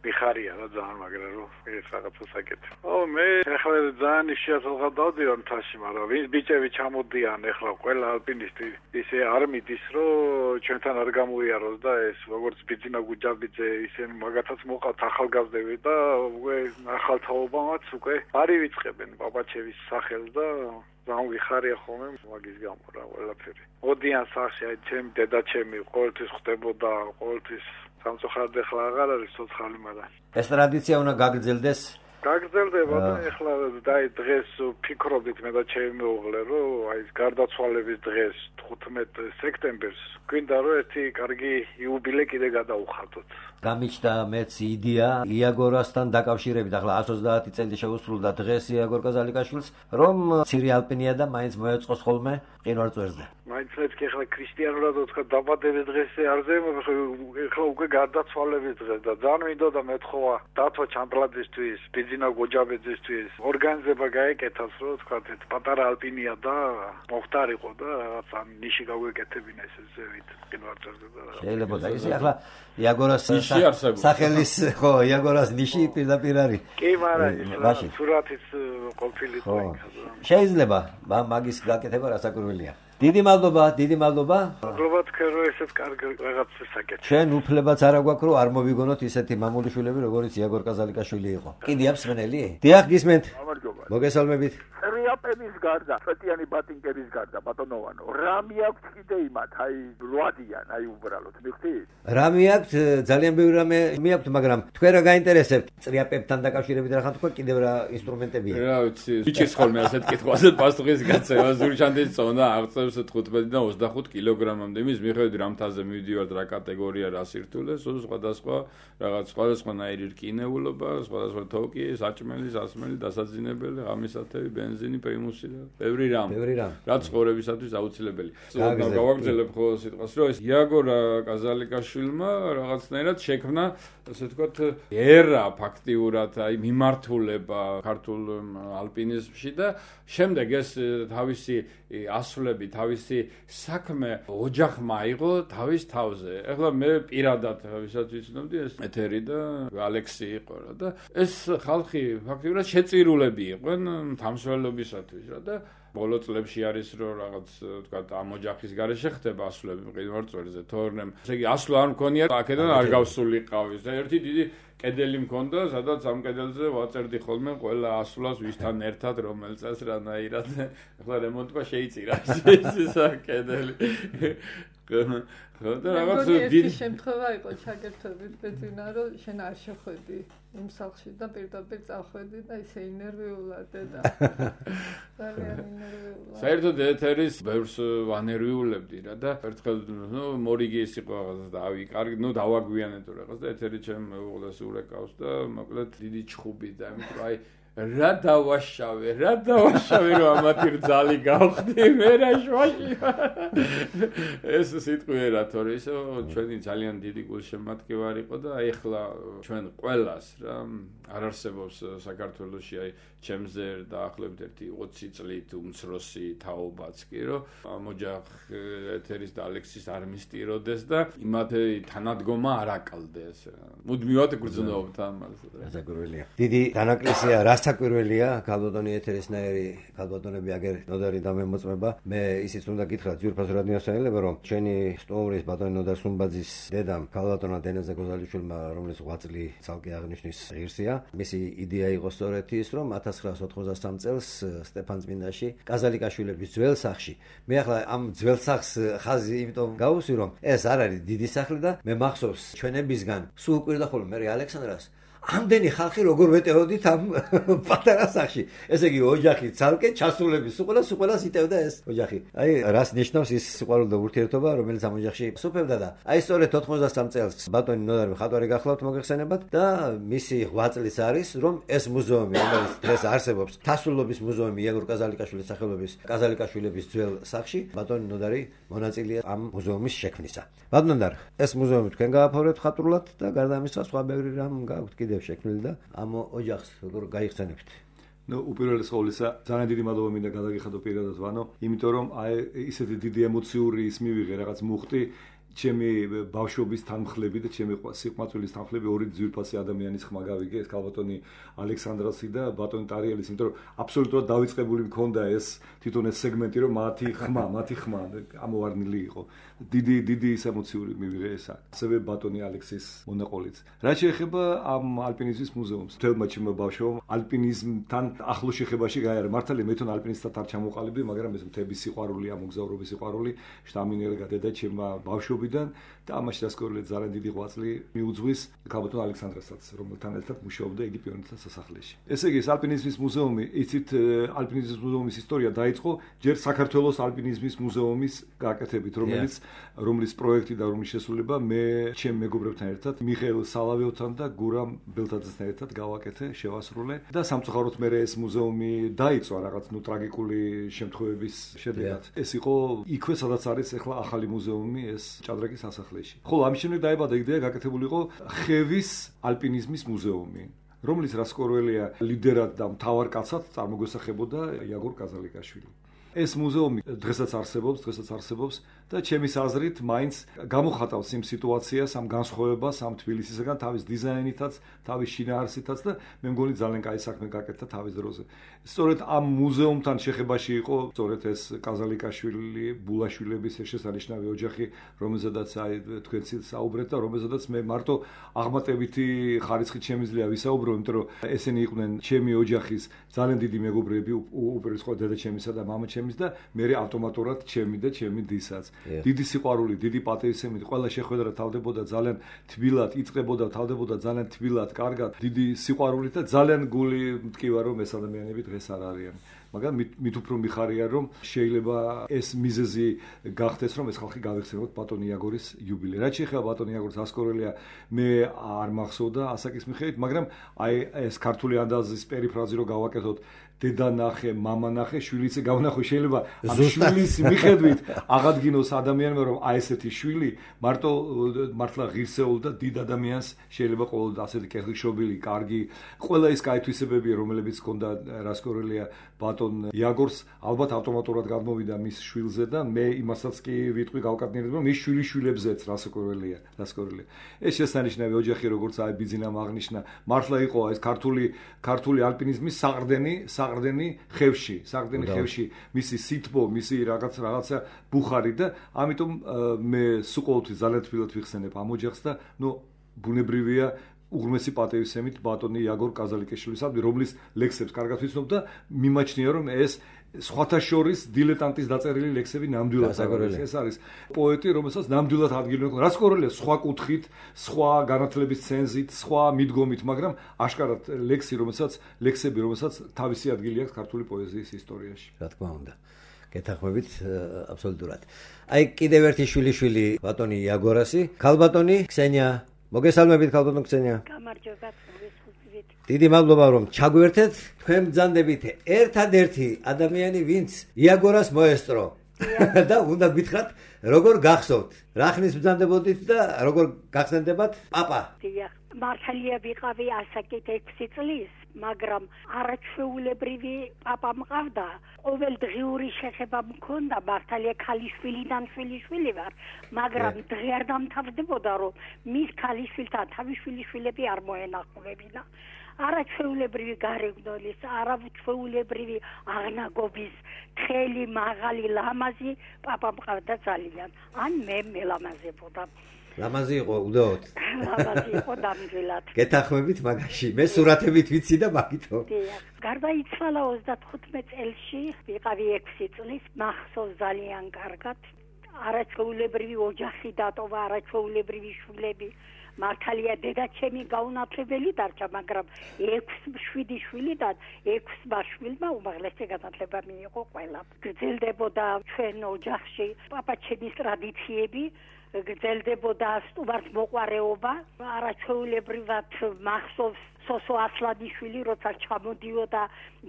მიხარია რა ძალიან მაგრამ რომ ეს რაღაცა საკეთე მე ახლა ძალიან შეასრულა დავდივარ მთაში მაგრამ ვინც ბიჭები ჩამოდიან ახლა ყველა ალპინისტი ისე არ მიდის რომ ჩვენთან არ გამოიაროს და ეს როგორც ბიძინა გუჯაბიძე ისინი მაგათაც მოყავთ ახალგაზრდები და უკვე ახალთაობამაც უკვე არი ვიწყებენ პაპაჩევის სახელს და ძალიან ვიხარია ხოლმე მაგის გამო რა ყველაფერი. მოდიან სახში აი ჩემი დედაჩემი ყოველთვის ხდებოდა ყოველთვის სამწუხაროდ ახლა აღარ არის ცოცხალი მაგრამ ეს ტრადიცია უნდა გაგრძელდეს გაგრძელდება და ახლა დაი დღეს ფიქრობდით მე და ჩემი მეუღლე რომ აი გარდაცვალების დღეს 15 სექტემბერს გვინდა რომ ერთი კარგი იუბილე კიდე გადაუხატოთ გამიჩნდა მეც იდეა იაგორასთან დაკავშირებით ახლა 130 წელი შეუსრულდა დღეს იაგორ კაზალიკაშვილს რომ ცირე ალპინია და მაინც მოეწყოს ხოლმე მყინვარწვერზე მაინც მეთქი ახლა ქრისტიანულად თქვა დაბადების დღესზე არ ზემო ახლა უკვე გარდაცვალების დღეს და ძალიან მინდოდა მეთხოვა დათო ჩამპლაძისთვის ბიძინა გოჯაბეძისთვის ორგანიზება გაეკეთას რომ თქვა ეს პატარა ალპინია და მოხდარიყო და რაღაცა ნიში გაგვეკეთებინა ეს ზევით მყინვარწვერზე და შეიძლება და ისე ახლა იაგორას სახელის ხო იაგორას ნიში პირდაპირ არის კი მაგრამ სურათის ყოფილიყო შეიძლება მაგის გაკეთება რასაკვირველია დიდი მადლობა მადლობა თქვენ რომ ესეთ კარგი რაღაცას საკეთებთ ჩვენ უფლებაც არა გვაქვს რომ არ მოვიგონოთ ისეთი მამულიშვილები როგორც იაგორ კაზალიკაშვილი იყო კიდე აფსმენელი დიახ გისმენთ მოგესალმებით რიაპების გარდა სპეციალური ბატინკების გარდა ბატონოვანო რამე აქვს კიდე იმათ აი რვადიან აი უბრალოდ მიხდით რამე აქვს ძალიან ბევრი რამე მეაქვთ მაგრამ თქვენ რა გაინტერესებთ წრიაპებთან დაკავშირებით რა ხან თქვა კიდევ რა ინსტრუმენტებია რა ვიცი ვიჭირს ხოლმე ასეთ კითხვაზე პასუხის გაცემა ზურჩანდის წონა აღწევს 15-დან 25 კილოგრამამდე იმის მიხედვით რა მთაზე მივდივართ რა კატეგორია რა სირთულე სხვადასხვა რაღაც სხვადასხვანაირი რკინეულობა სხვადასხვა თოკი საჭმელი სასმელი დასაძინებელი ღამისათევი ბენზინი პრიმუსი და ბევრი რამ რაც ცხოვრებისათვის აუცილებელი გავაგრძელებ ხოლმე სიტყვას რომ ეს იაგორ კაზალიკაშვილმა რაღაცნაირად შექმნა ასე ვთქვათ ერა ფაქტიურად აი მიმართულება ქართულ ალპინიზმში და შემდეგ ეს თავისი ასვლები თავისი საქმე ოჯახმა აიღო თავის თავზე. ეხლა მე პირადად ვისაც ვიცნობდი ეს ეთერი და ალექსი იყო და ეს ხალხი ფაქტიურად შეწირულები იყვენ თამშრომლობისათვის რა და ბოლო წლებში არის რომ რაღაც ვთქვათ ამ ოჯახის გარეშე ხდება ასვლები მყინვარწვერზე თორემ ესე იგი ასვლა არ მქონია აქედან არ გავსულიყავის და ერთი დიდი კედელი მქონდა სადაც ამ კედელზე ვაწერდი ხოლმე ყველა ასვლას ვისთან ერთად რომელ წელს რანაირად ახლა რემონტმა შეიწირა ეს კედელი და რაღაც დიდი შემთხვევა იყო ჩაგერთვებით ბეძინა რომ შენ არ შეხვედი იმ სახლში და პირდაპირ წავხვედი და ისე ინერვიულად და ძალიან ინერვიულად საერთოდ ეთერის ბევრს ვანერვიულებდი რა და ერთხელ მორიგი ის იყო რაღაცა და ავი კარგი დავაგვიანე თუ რაღაც და ეთერი ჩემ უყოლეს ურეკავს და მოკლედ დიდი ჩხუბი და ამიტომ აი რა დავაშავე რომ ამათი რძალი გავხდი მე რა შვაში ეს სიტყვიერა თორე ისო ჩვენი ძალიან დიდი გულშემატკივარი იყო და აი ახლა ჩვენ ყველას რა არ არსებობს საქართველოში აი ჩემზე დაახლოებით 20 წლით უმცროსი თაობაც კი რომ ამ ოჯახ ეთერის და ალექსის არ მისტიროდეს და იმათი თანადგომა არ აკლდეს მუდმივად გრძნობთ ამას რასაკვირველია დიდი დანაკლისია რასაკვირველია ქალბატონი ეთერისნაირი ქალბატონები აგერ ნოდარი დამემოწმება მე ისიც უნდა გითხრათ ძვირფას რადიოსანელება რომ ჩვენი სტუმრის ბატონი ნოდარ სუმბაძის დედამ ქალბატონმა დენეზე გოზალიშვილმა რომელიც 8 წელი ცალკე აღნიშნის ღირსია მისი იდეა იყო სწორედ ის რომ 1993 წელს სტეფანწმინდაში კაზალიკაშვილების ძველ სახლში მე ახლა ამ ძველ სახლს ხაზი იმიტომ გავუსვი რომ ეს არ არის დიდი სახლი და მე მახსოვს ჩვენებისგან სულ კვირდა ხოლმე მე ალექსანდრას ამდენი ხალხი როგორ ვეტეოდით ამ პატარა სახლში ესე იგი ოჯახი ცალკე ჩასულების სულ იტევდა ეს ოჯახი აი რას ნიშნავს ის სიყვარული და ურთიერთობა რომელიც ამ ოჯახში სუფევდა და აი სწორედ 93 წელს ბატონი ნოდარი მხატვარი გახლავთ მოგეხსენებათ და მისი 8 წლის არის რომ ეს მუზეუმი რომელიც დღეს არსებობს თასულობის მუზეუმი იაგურ კაზალიკაშვილის სახელობის კაზალიკაშვილების ძველ სახლში ბატონი ნოდარი მონაწილეა ამ მუზეუმის შექმნისა ბატონ ნოდარ ეს მუზეუმი თქვენ გააფორეთ ხატრულად და გარდა ამისა სხვა ბევრი რამ გაქვთ კიდე შექმნილი და ამ ოჯახს როგორ გაიხსენებთ? ნუ უპირველეს ყოვლისა ძალიან დიდი მადლობა მინდა გადაგიხადო პირადად ვანო, იმიტომ რომ აი ისეთი დიდი ემოციური ის მივიღე რაღაც მუხტი ჩემი ბავშვობის თანმხლები და ჩემი სიყვარულის თანმხლები ორი ძვირფასი ადამიანის ხმა გავიგე ეს ქალბატონი ალექსანდრასი და ბატონი ტარიელის, იმიტომ რომ აბსოლუტურად დავიწყებული მქონდა ეს თვითონ ეს სეგმენტი რომ მათი ხმა ამოვარნილი იყო. დიდი ის ემოციური მივიღე ესა. ასევე ბატონი ალექსის მონაყოლიც. რაც შეეხება ამ ალპინიზმის მუზეუმს, თელმა ჩემმა ბავშვობამ ალპინიზმთან ახლო შეხებაში გაიარა. მართალია მე თვითონ ალპინისტად არ ჩამოყალიბდი, მაგრამ ეს მთების სიყვარული, ამ მოგზაურობის სიყვარული შტამინერგა დედა ჩემმა ბავშვობიდან და ამაში დასკორლეთ ძალიან დიდი ღვაწლი მიუძღვის ქალბატონ ალექსანდრასაც, რომელთან ერთად მუშაობდა იგი პიონერთა სასახლეში. ესე იგი, ალპინიზმის მუზეუმი, იცით, ალპინიზმის მუზეუმის ისტორია დაიწყო ჯერ საქართველოს ალპინიზმის მუზეუმის გაკეთებით, რომლის პროექტი და რომლის შესრულება მე ჩემ მეგობრებთან ერთად, მიხეილ სალავიოვთან და გურამ ბელთაძესთან ერთად გავაკეთე, შევასრულე და სამწუხაროდ მე ეს მუზეუმი დაიწვა რაღაც ტრაგიკული შემთხვევების შედეგად. ეს იყო იქვე, სადაც არის ახლა ახალი მუზეუმი, ეს ჭადრაკის სასახლეში. ხოლო ამის შემდეგ დაიბადა იდეა გაკეთებული იყო ხევის ალპინიზმის მუზეუმი, რომლის რასკორველია ლიდერად და მთავარ კაცად წარმოგვესახებოდა იაგურ კაზალიკაშვილი. ეს მუზეუმი დღესაც არსებობს და ჩემის აზრით მაინც გამოხატავს იმ სიტუაციას, ამ განსხვავებას ამ თბილისისგან თავის დიზაინითაც, თავის შინაარსითაც და მე მგონი ძალიან კაი საქმე გაკეთდა თავის დროზე. სწორედ ამ მუზეუმთან შეხებაში იყო სწორედ ეს კაზალიკაშვილი, ბულაშვილების შესანიშნავი ოჯახი, რომელზედაც აი თქვენც საუბრეთ და რომელზედაც მე მარტო აღმატებითი ხარისხით შემიძლია ვისაუბრო, იმიტომ რომ ესენი იყვნენ ჩემი ოჯახის ძალიან დიდი მეგობრები, უპირველეს ყოვლისა დედა ჩემისა და მამა ჩემის და მე ავტომატურად ჩემი და ჩემი დისაც. დიდი სიყვარული, დიდი პატრიოტიზმი, ყველა შეხვედრა თავდებოდა ძალიან თბილად, იწყებოდა თავდებოდა ძალიან თბილად, კარგად, დიდი სიყვარული და ძალიან გული მტკივა რომ ეს ადამიანები დღეს არ არიან. მაგრამ მით უფრო მიხარია რომ შეიძლება ეს მიზეზი გახდეს რომ ეს ხალხი გავიხსენოთ ბატონი იაგორის იუბილე. რაც შეეხება ბატონი იაგორის ასკორელია მე არ მახსოვდა ასაკის მიხედვით, მაგრამ აი ეს ქართული ანდაზის პერიფრაზი რო გავაკეთოთ დედა ნახე, მამა ნახე, შვილიც გავნახო, შეიძლება ამ შვილის მიხედვით აღადგინოს ადამიანმა რომ აი ესეთი შვილი მართლა ღირსეულ და დიდ ადამიანს შეიძლება ყოველდღე ასეთი კეთილშობილი, კარგი, ყველა ის კაი თვისებები, რომლებიც ჰქონდა რასკორელია ბატონ ბატონ იაგორს ალბათ ავტომატურად გადმოვიდა მის შვილზე და მე იმასაც კი ვიტყვი გავკატნიერებ, რომ მის შვილიშვილებზეც რასაკურველია. ეს შესანიშნავი ოჯახი, როგორც აი ბიძინამ აღნიშნა, მართლა იყო ეს ქართული ალპინიზმის საყრდენი ხევში, მისი სითბო, მისი რაღაცა ბუხარი და ამიტომ მე სულ ძალიან თბილად ვიხსენებ ამ ოჯახს და ბუნებრივია უღრმესი პატივისცემით ბატონი იაგორ კაზალიკეშვილის, რომლის ლექსებს კარგად ვიცნობ და მიმაჩნია, რომ ეს სხვათა შორის დილეტანტის დაწერილი ლექსები ნამდვილად ეს არის პოეტი, რომელსაც ნამდვილად ადგილი აქვს. რაც კორელია სხვა კუთხით, სხვა განათლების ცენზით, სხვა მიდგომით, მაგრამ აშკარად ლექსები, რომელსაც თავისი ადგილი აქვს ქართული პოეზიის ისტორიაში. რა თქმა უნდა. გეთანხმებით აბსოლუტურად. აი კიდევ ერთი შვილიშვილი ბატონი იაგორასი, ქალბატონი ქსენია. მოგესალმებით ქალბატონ ქსენია. გამარჯობა. დიდი მადლობა რომ ჩაგვერთეთ. თქვენ ბრძანდებით ერთადერთი ადამიანი, ვინც იაგორას მოესწრო. და უნდა გითხრათ, როგორ გახსოვთ? რა ხნის ბრძანდებოდით და როგორ გახსენდებათ პაპა? მართალია ვიყავი ასაკით 6 წლის, მაგრამ არაჩვეულებრივი პაპა მყავდა. ყოველდღიური შეხება მქონდა, მართალია ქალიშვილიდან შვილიშვილი ვარ, მაგრამ დღე არ დამთავრდებოდა, რომ მის ქალიშვილთან თავის შვილიშვილები არ მოენახულებინა. არაჩვეულებრივი გარეგნოლის, არაჩვეულებრივი აღნაგობის, თხელი, მაღალი, ლამაზი პაპა მყავდა ძალიან. ან მე მელამაზებოდა. ლამაზი იყო უდაოდ. ლამაზი იყო დამჯილად. გეთანხმებით მაგაში. მე სურათებით ვიცი და მაგითო. გარდაიცვალა 35 წელში, ვიყავი 6 წლის, მახსოვს ძალიან კარგად. არაჩვეულებრივი ოჯახი დატოვა, არაჩვეულებრივი შვილები. მართალია დედაჩემი გაუნათლებელი დარჩა, მაგრამ 6-7 შვილიდან 6 შვილმა უმაღლესი განათლება მიიღო ყველა. გრძელდებოდა ჩვენ ოჯახში პაპაჩემის ტრადიციები, გრძელდებოდა სტუმართმოყვარეობა, არაჩვეულებრივად მახსოვს სოსო ასლანიშვილი, როცა ჩამოდიოდა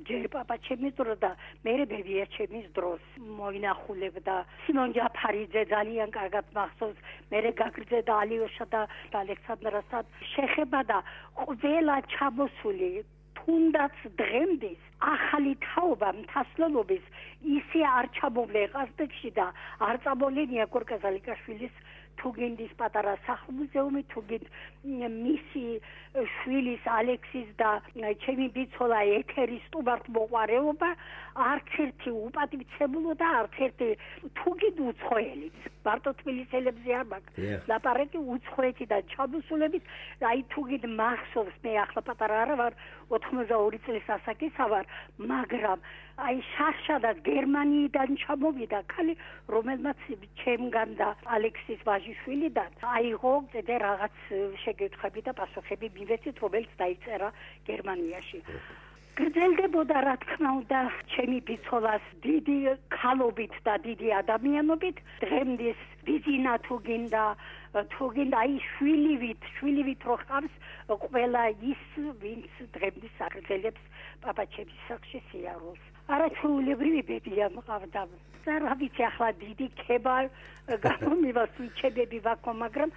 ჯერ პაპაჩემის დროს და მერე ბებიაჩემის დროს მოინახულებდა. სიმონ ჯაფარიძე ძალიან კარგად მახსოვს, მერე გაგრძელდა ალიოშა და ალექსანდრასთან შეხება და ყველა ჩამოსული თუნდაც დღემდის ახალი თაობა მთასლელობის ისე არ ჩამოვლე ყაზბეგში და არ წამოვლენ იაგორ კაზალიკაშვილის თუგინდის პატარა სახლ-მუზეუმი, თუგინდ მისი შვილის ალექსის და ჩემი ბიცოლა ეთერის სტუმართმოყვარეობა არც ერთი უპატივცემულო და არც ერთი თუგინდ უცხოელიც. მარტო თბილისელებზე არ მაქვს ლაპარაკი უცხოეთიდან ჩამოსულებით, აი თუგინდ მახსოვს, მე ახლა პატარა არა ვარ, 82 წლის ასაკისა ვარ, მაგრამ აი შაშადად გერმანიიდან ჩამოვიდა ქალი, რომელმაც ჩემგან და ალექსის ვაჟიშვილიდან აიღო კიდე რაღაც შეკითხვები და პასუხები მივეცით, რომელიც დაიწერა გერმანიაში. გრძელდებოდა რა თქმა უნდა ჩემი ბიცოლას დიდი ქალობით და დიდი ადამიანობით, დღემდის ბიზინა თუგინდა აი შვილივით რო ხავს ყველა ის, ვინც დღემდის აგრძელებს პაპაჩემის სახლში სიარულს. არაჩვეულებრივი ბებია მყავდა. რა ვიცი ახლა დიდი ქება გამომივასუჩებები ვაქო, მაგრამ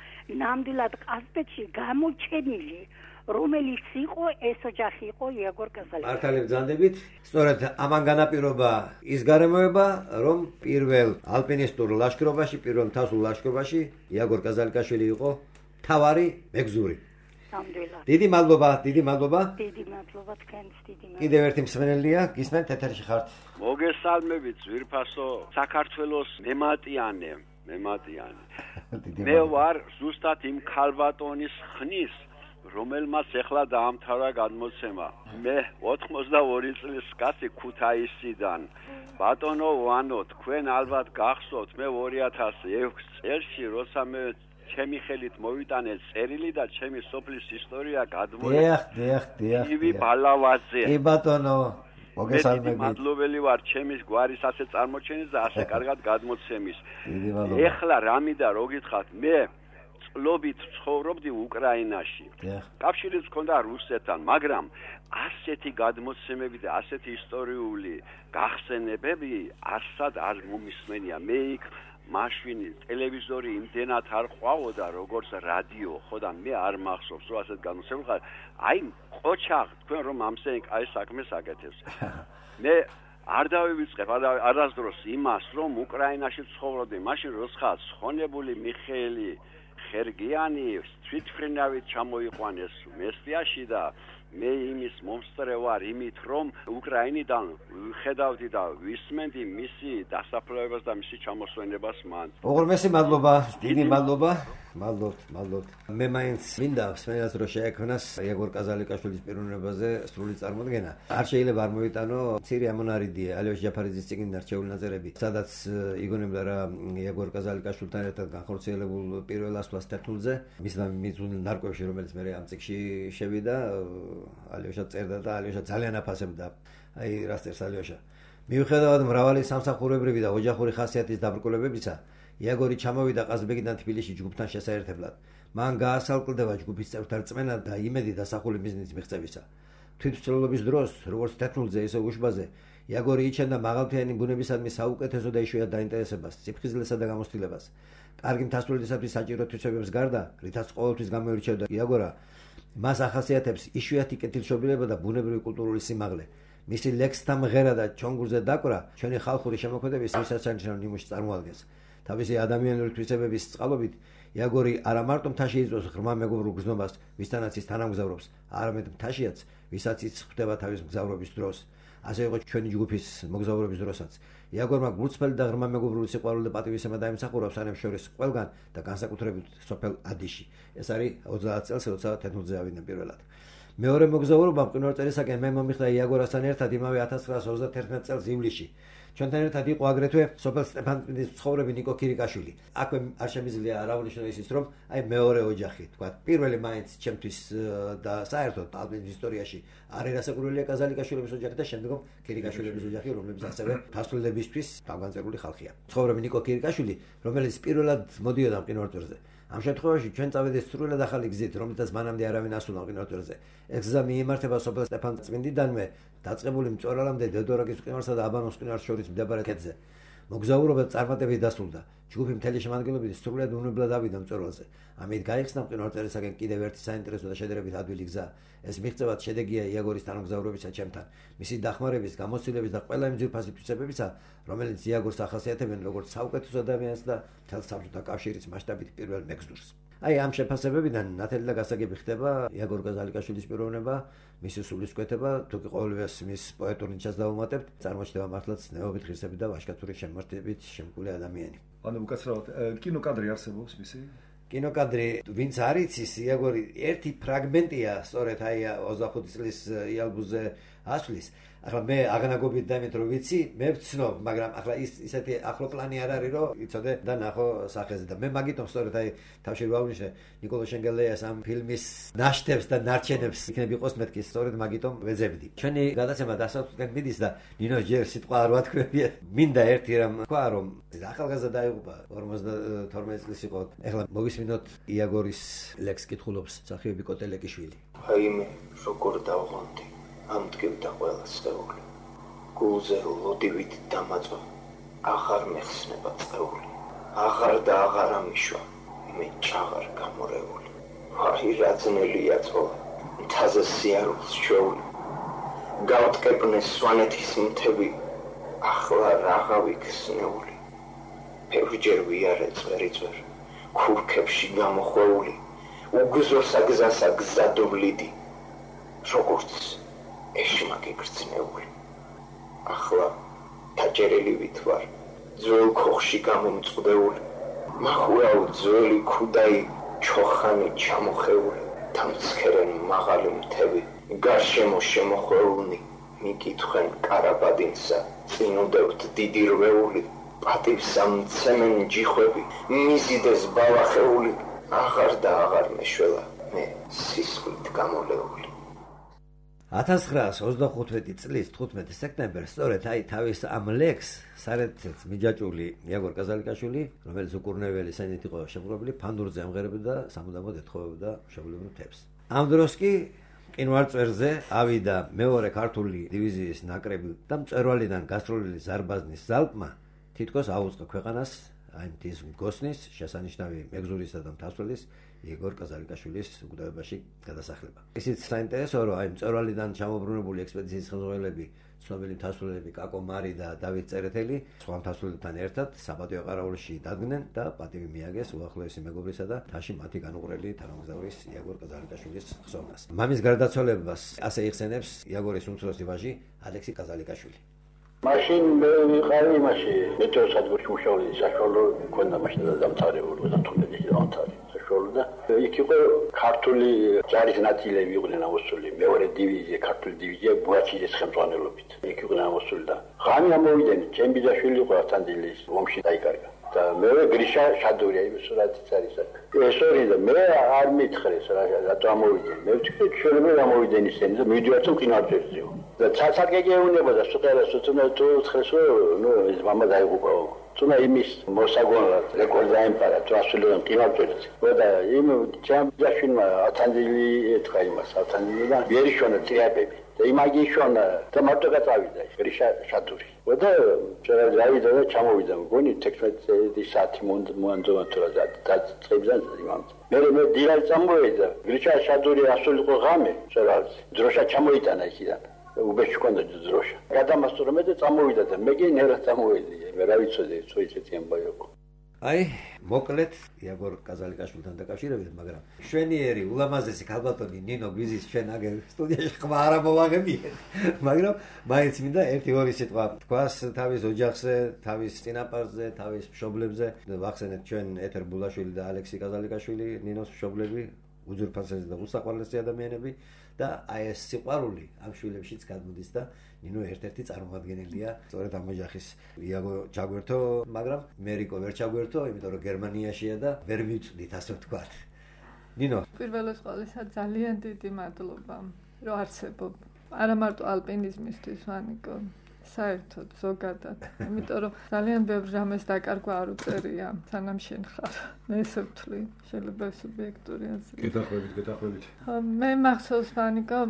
ნამდვილად ყაზბეგში გამოჩენილი რომელიც იყო ეს ოჯახი იყო იაგორ კაზალიკაშვილის. მართალი ბრძანდებით, სწორედ ამან განაპირობა ის გარემოება, რომ პირველ ალპინისტურ ლაშქრობაში, პირველ მთასულ ლაშქრობაში იაგორ კაზალიკაშვილი იყო მთავარი მეგზური. ნამდვილად. დიდი მადლობა. დიდი მადლობა თქვენს, დიდი მადლობა. კიდევ ერთი მსმენელია, გისმენთ ეთერში ხართ. მოგესალმებით, ძვირფასო საქართველოს მემატიანე. მე ვარ ზუსტად იმ ქალბატონის ხნის, რომელმაც ეხლა დაამთავრა გადმოცემა. მე 82 წლის კაცი ქუთაისიდან. ბატონო ვანო, თქვენ ალბათ გახსოვთ, მე 2006 წელში როცა მე ჩემი ხელით მოვიტანე წერილი და ჩემი სოფლის ისტორია გადმოეცა. დიახ. ივი ბალავაძე. კი ბატონო, მოგესალმებით. მადლობელი ვარ ჩემის გვარის ასე წარმოჩენის და ასე კარგად გადმოცემის. ეხლა რამიდა რო გითხათ, მე წლობით ცხოვრობდი უკრაინაში. კავშირიც მქონდა რუსეთთან, მაგრამ ასეთი გადმოცემები და ასეთი ისტორიული გახსენებები არსად არ მომისმენია. მე იქ მაშინ ტელევიზორი იმდენად არ ყვავოდა, როგორც რადიო, ხო და მე არ მახსოვს, რომ ასეთ გადმოცემები აი ყოჩაღ თქვენ რომ ამსენი კაი საქმეს აკეთებს. მე არ დავივიწყებ არასდროს იმას, რომ უკრაინაში ცხოვრობდი, მაშინ როცა ხონებული მიხეილი ხერგიანი თვითმფრინავით ჩამოიყვანეს მესტიაში და მე იმის მომსწრე ვარ იმით, რომ უკრაინიდან ხედავდი და ვისმენდი მისი დასაფლავებას და მისი ჩამოსვენებას მან. უღრმესი მადლობა, დიდი მადლობა. მადლობთ. მე მაინც მინდა მსმენელს რომ შეექმნას იაგორ კაზალიკაშვილის პიროვნებაზე სრული წარმოდგენა. არ შეიძლება არ მოვიტანო მცირე ამონარიდია ალიოშ ჯაფარიძის წიგნიდან რჩეული ნაწერები, სადაც იგონებდა რა იაგორ კაზალიკაშვილთან ერთად განხორციელებულ პირველ ასვლას თეთრულზე, მის ნარკვევში, რომელიც მე ამ წიგნში შევიდა, ალიოშა წერდა და ალიოშა ძალიან აფასებდა. აი რა წერს ალიოშა. მიუხედავად მრავალი სამსახურებრივი და ოჯახური ხასიათის დაბრკოლებებისა, იაგორი ჩამოვიდა ყაზბეგიდან თბილისში ჯგუფთან შესაერთებლად. მან გაასალკლდება ჯგუფის წევრთა რწმენა და იმედი დასახული მიზნის მიღწევისა. თვითმცლელობის დროს, როგორც თეთრულზე, ისე უშბაზე, იაგორი იჩენდა მაღალფრიანი ბუნებისადმი საუკეთესო და იშვიათ დაინტერესებას, სიფხიზლესა და გამოცდილებას. კარგი მთასწორისათვის საჭირო თვისებებს გარდა, რითაც ყოველთვის გამოირჩევდა იაგორა, მას ახასიათებს იშვიათი კეთილშობილება და ბუნებრივი კულტურული სიმაღლე. მისი ლექსთა მღერა და ჩონგურზე დაკვრა ჩვენი ხალხური შემოქმედების მისასანიშნავ ნიმუშს წარმოადგენს. თავისი ადამიანური თვისებების წყალობით იაგორი არა მარტო მთაში იწვევს ღრმა მეგობრულ გზნობას, ვისთანაც ის თანამგზავრობს, არამედ მთაშიაც, ვისაც ის ხვდება თავის მგზავრობის დროს. ასე იყო ჩვენი ჯგუფის მოგზაურობის დროსაც. იაგორმა გულწრფელი და ღრმა მეგობრული სიყვარული და პატივისცემა დაიმსახურა სანამ შორის ყველგან და განსაკუთრებით სოფელ ადიში. ეს არის 30 წელს, როცა თეთრულზე ავიდნენ პირველად. მეორე მოგზაურობა მყინვარწერისაკენ მე მომიხდა იაგორასთან ერთად იმავე 1931 წელს ივლისში. ჩვენთან ერთად იყო აგრეთვე სოფელ სტეფანწმინდის მცხოვრები ნიკო კირიკაშვილი. აქვე არ შემიძლია არ აღვნიშნო ისიც, რომ აი მეორე ოჯახი, თქვა, პირველი მაინც ჩემთვის და საერთოდ ალბათ ისტორიაში არის რასაკვირველია კაზალიკაშვილების ოჯახი და შემდგომ კირიკაშვილების ოჯახი, რომლებიც ასევე დასრულებისთვის თავგანწირული ხალხია. მცხოვრები ნიკო კირიკაშვილი, რომელიც პირველად მოდიოდა მყინვარწერზე. ამ შემთხვევაში ჩვენ წავედით სრულად ახალი გზით, რომელთაც მანამდე არავინ ასულა მყინვარწერზე. ეს გზა მიემართება სოფელ სტეფანწმინდიდანვე დაწყებული მწვერვალამდე დედორაკის მყინვარსა და აბანოს მყინვარს შორის მდებარე ქედზე. მოგზაურობა წარმატებით დასრულდა. ჯგუფი მთელი შემადგენლობით სრულად უნებლად ავიდა მწვერვალზე. ამით გაიხსნა მყინვარწერისაკენ კიდევ ერთი საინტერესო და შედარებით ადვილი გზა. ეს მიღწევად შედეგია იაგორის თანამგზავრობისა ჩემთან, მისი დახმარების, გამოცდილების და ყველა იმ ძვირფასი თვისებებისა, რომელიც იაგორს ახასიათებენ როგორც საუკეთესო ადამიანს და მთელ საბჭოთა კავშირის მასშტაბით პირველ მეგზურს. აი ამ შეფასებებიდან ნათელი და გასაგები ხდება იაგორ კაზალიკაშვილის პიროვნება, მისი სულისკვეთება, თუ კი ყოველივეს მის პოეტურ ნიჭას დავუმატებთ, წარმოჩნდება მართლაც ნეობით ღირსები და ვაჟკაცური შემართებით შემკული ადამიანი. ანუ უკაცრავად კინოკადრი არსებობს მისი? კინოკადრი, ვინც არ იცის, იაგორი ერთი ფრაგმენტია, სწორედ აი 25 წლის იალბუზე ასვლის. ახლა მე აღნაგობით დამით რომ ვიცი, მე ვცნობ, მაგრამ ახლა ისეთი ახლო პლანი არ არის, რომ იცოდე და ნახო სახეზე და მე მაგიტომ სწორედ აი თავში ვაუნიშნე ნიკოლო შენგელეას ამ ფილმის ნაშთებს და ნარჩენებს იქნებ იყოს მეთქი, სწორედ მაგიტომ ვეძებდი. ჩვენი გადაცემა დასაწყისად მიდის და ნინო ჯერ სიტყვა არ ვათქვევია. მინდა ერთი რამ თქვა, რომ ახალგაზრდა დაიღუპა 52 წლის იყო. ახლა მოგისმინოთ იაგორის ლექს კითხულობს მსახიობი კოტელეკიშვილი. აი მე როგორ დავღონდი ამ დგევდა ყველა წეული. გულზე ლოდივით დამაწვა, აღარ მეხსნება წეული. აღარ და აღარ ამიშვა, მე ჩაღარ გამორეული. აი რაძნელია წოლა, მთაზე სიარულს ჩვეული. გავტკეპნე სვანეთის მთები, ახლა რაღავი ქსნეული. ბევრჯერ ვიარე წვერიწვერ, ქურქებში გამოხვეული, უგზოსა გზასა გზადობლიდი, როგორც ეშმაკი გრძნეული. ახლა დაჭერილი ვითვარ, ძველ ქოხში გამომწყვდეული, მახურავ ძველი ქუდაი ჩოხანი ჩამოხეული, დამცქერენ მაღალი მთები, გარშემო შემოხვეულნი, მიკითხენ კარაბადინსა, წინუდევთ დიდი რვეული, პატივსა მცემენ ჯიხვები, მიზიდეს ბალახეული, აღარ და აღარ მეშველა, მე სისხლით გამოლეული. 1925 წლის 15 სექტემბერს სწორედ აი თავის ამ ლექს სარეთით მიჯაჭვული იაგორ კაზალიკაშვილი, რომელიც უკურნეველი სენით იყო შეპყრობილი, ფანდურზე ამღერებდა და სამუდამოდ ეთხოვებდა მშობლიურ მთებს. ამ დროს კი მყინვარწერზე ავიდა მეორე ქართული დივიზიის ნაკრები და მწვერვალიდან გასროლილი ზარბაზნის ზალპმა თითქოს აუწყა ქვეყანას აი მთის მგოსნის, შესანიშნავი მეგზურისა და მთასვლის იგორ კაზალიკაშვილის უკდავებაში გადასახლება. ისიც საინტერესოა, რომ აი მწვერვალიდან ჩამობრუნებული ექსპედიციის ხელმძღვანელები, ცნობილი მთასვლელები კაკო მარი და დავით წერეთელი სხვა მთასვლებთან ერთად საპატიო ყარაულში დადგნენ და პატივი მიაგეს უახლოესი მეგობრისა და მთაში მათი განუყრელი თანამგზავრის იაგორ კაზალიკაშვილის ხსოვნას. მამის გარდაცვალებას ასე იხსენებს იაგორის უმცროსი ვაჟი ალექსი კაზალიკაშვილი. მაშინ მე ვიყავი იმაში მეტეოსადგურში მუშაობდი, საშუალო მქონდა მაშინ დამთავრებული 35 დამთავრებული საშუალო და იქ იყო ქართული ჯარის ნაწილები იყვნენ ამოსული, მეორე დივიზია, ქართული დივიზია ბუაჩიძის ხელმძღვანელობით. იქ იყვნენ ამოსული და ღამე ამოვიდნენ, ჩემბიძაშვილი იყო ავთანდილის ომში დაიკარგა. და მე გრიშა შადურია იმ სურათიც არის აქ. ეს ორი და მე არ მითხრეს რატო ამოვიდნენ. მე ვთქვი შეიძლება ამოვიდნენ ისინი და მივიდივარ თუ კინოთეატრში. და ცალკე უნებოდა სუყერას თუ თხეს რომ ეს მამა დაიღუპაო. თუნა იმის მოსაგონად რეკორდ დაემყარა თუ ასულიდან კინოთეატრში. და იმ ჩემბიძაშვილმა ავთანდილი ეთქა იმას ავთანდილიდან ვერიშონა ტრიაბები. და იმაგიშონა და მარტო გაწავიდა გრიშა შადური. და დავიდა და ჩამოვიდა მგონი 16 საათი მოანდომა თუ რა დაწყებდა იმამ. მე დილად წამოვიდა გრიშა შადური ასულიყო ღამე წერალზე. დროშა ჩამოიტანა იქიდან. უბეში ჰქონდა დროშა. გადამასწორე და წამოვიდა და მე კი ნერად წამოვედი. მე რა ვიცოდი, თუ ისეთი ამბავი იყო. აი, მოკლედ იაგორ კაზალიკაშვილთან დაკავშირებით, მაგრამ შვენიერი ულამაზესი ქალბატონი ნინო გვიზის ჩვენ აგერ სტუდიაში ხმა არ მოვაღებიეთ. მაგრამ მაინც მინდა 1-2 სიტყვა თქვას თავის ოჯახზე, თავის წინაპარზე, თავის მშობლებზე. ვახსენეთ ჩვენ ეთერ ბულაშვილი და ალექსი კაზალიკაშვილი, ნინოს მშობლები, უძურფასესი და უსაყვარლესი ადამიანები და აი ეს სიყვარული ამ შვილებშიც გადმოდის და ნინო ერთ-ერთი წარმომადგენელია სწორედ ამ ოჯახის. იაგო ჩაგვერთო, მაგრამ მერიკო ვერ ჩაგვერთო, იმიტომ რომ გერმანიაშია და ვერ მივწვდით, ასე ვთქვათ. ნინო, პირველის ყოვლისა ძალიან დიდი მადლობა, რომ არსებობ. არა მარტო ალპინიზმისთვის, ვანიკო, საერთოდ ზოგადად. იმიტომ რომ ძალიან ბევრ რამეს დაკარგვა არ უწერია, სანამ შენ ხარ. მე ესე ვთვლი, შეიძლება სუბიექტური აზრი. გეთახვებით. მე მახსოვს ვანიკო,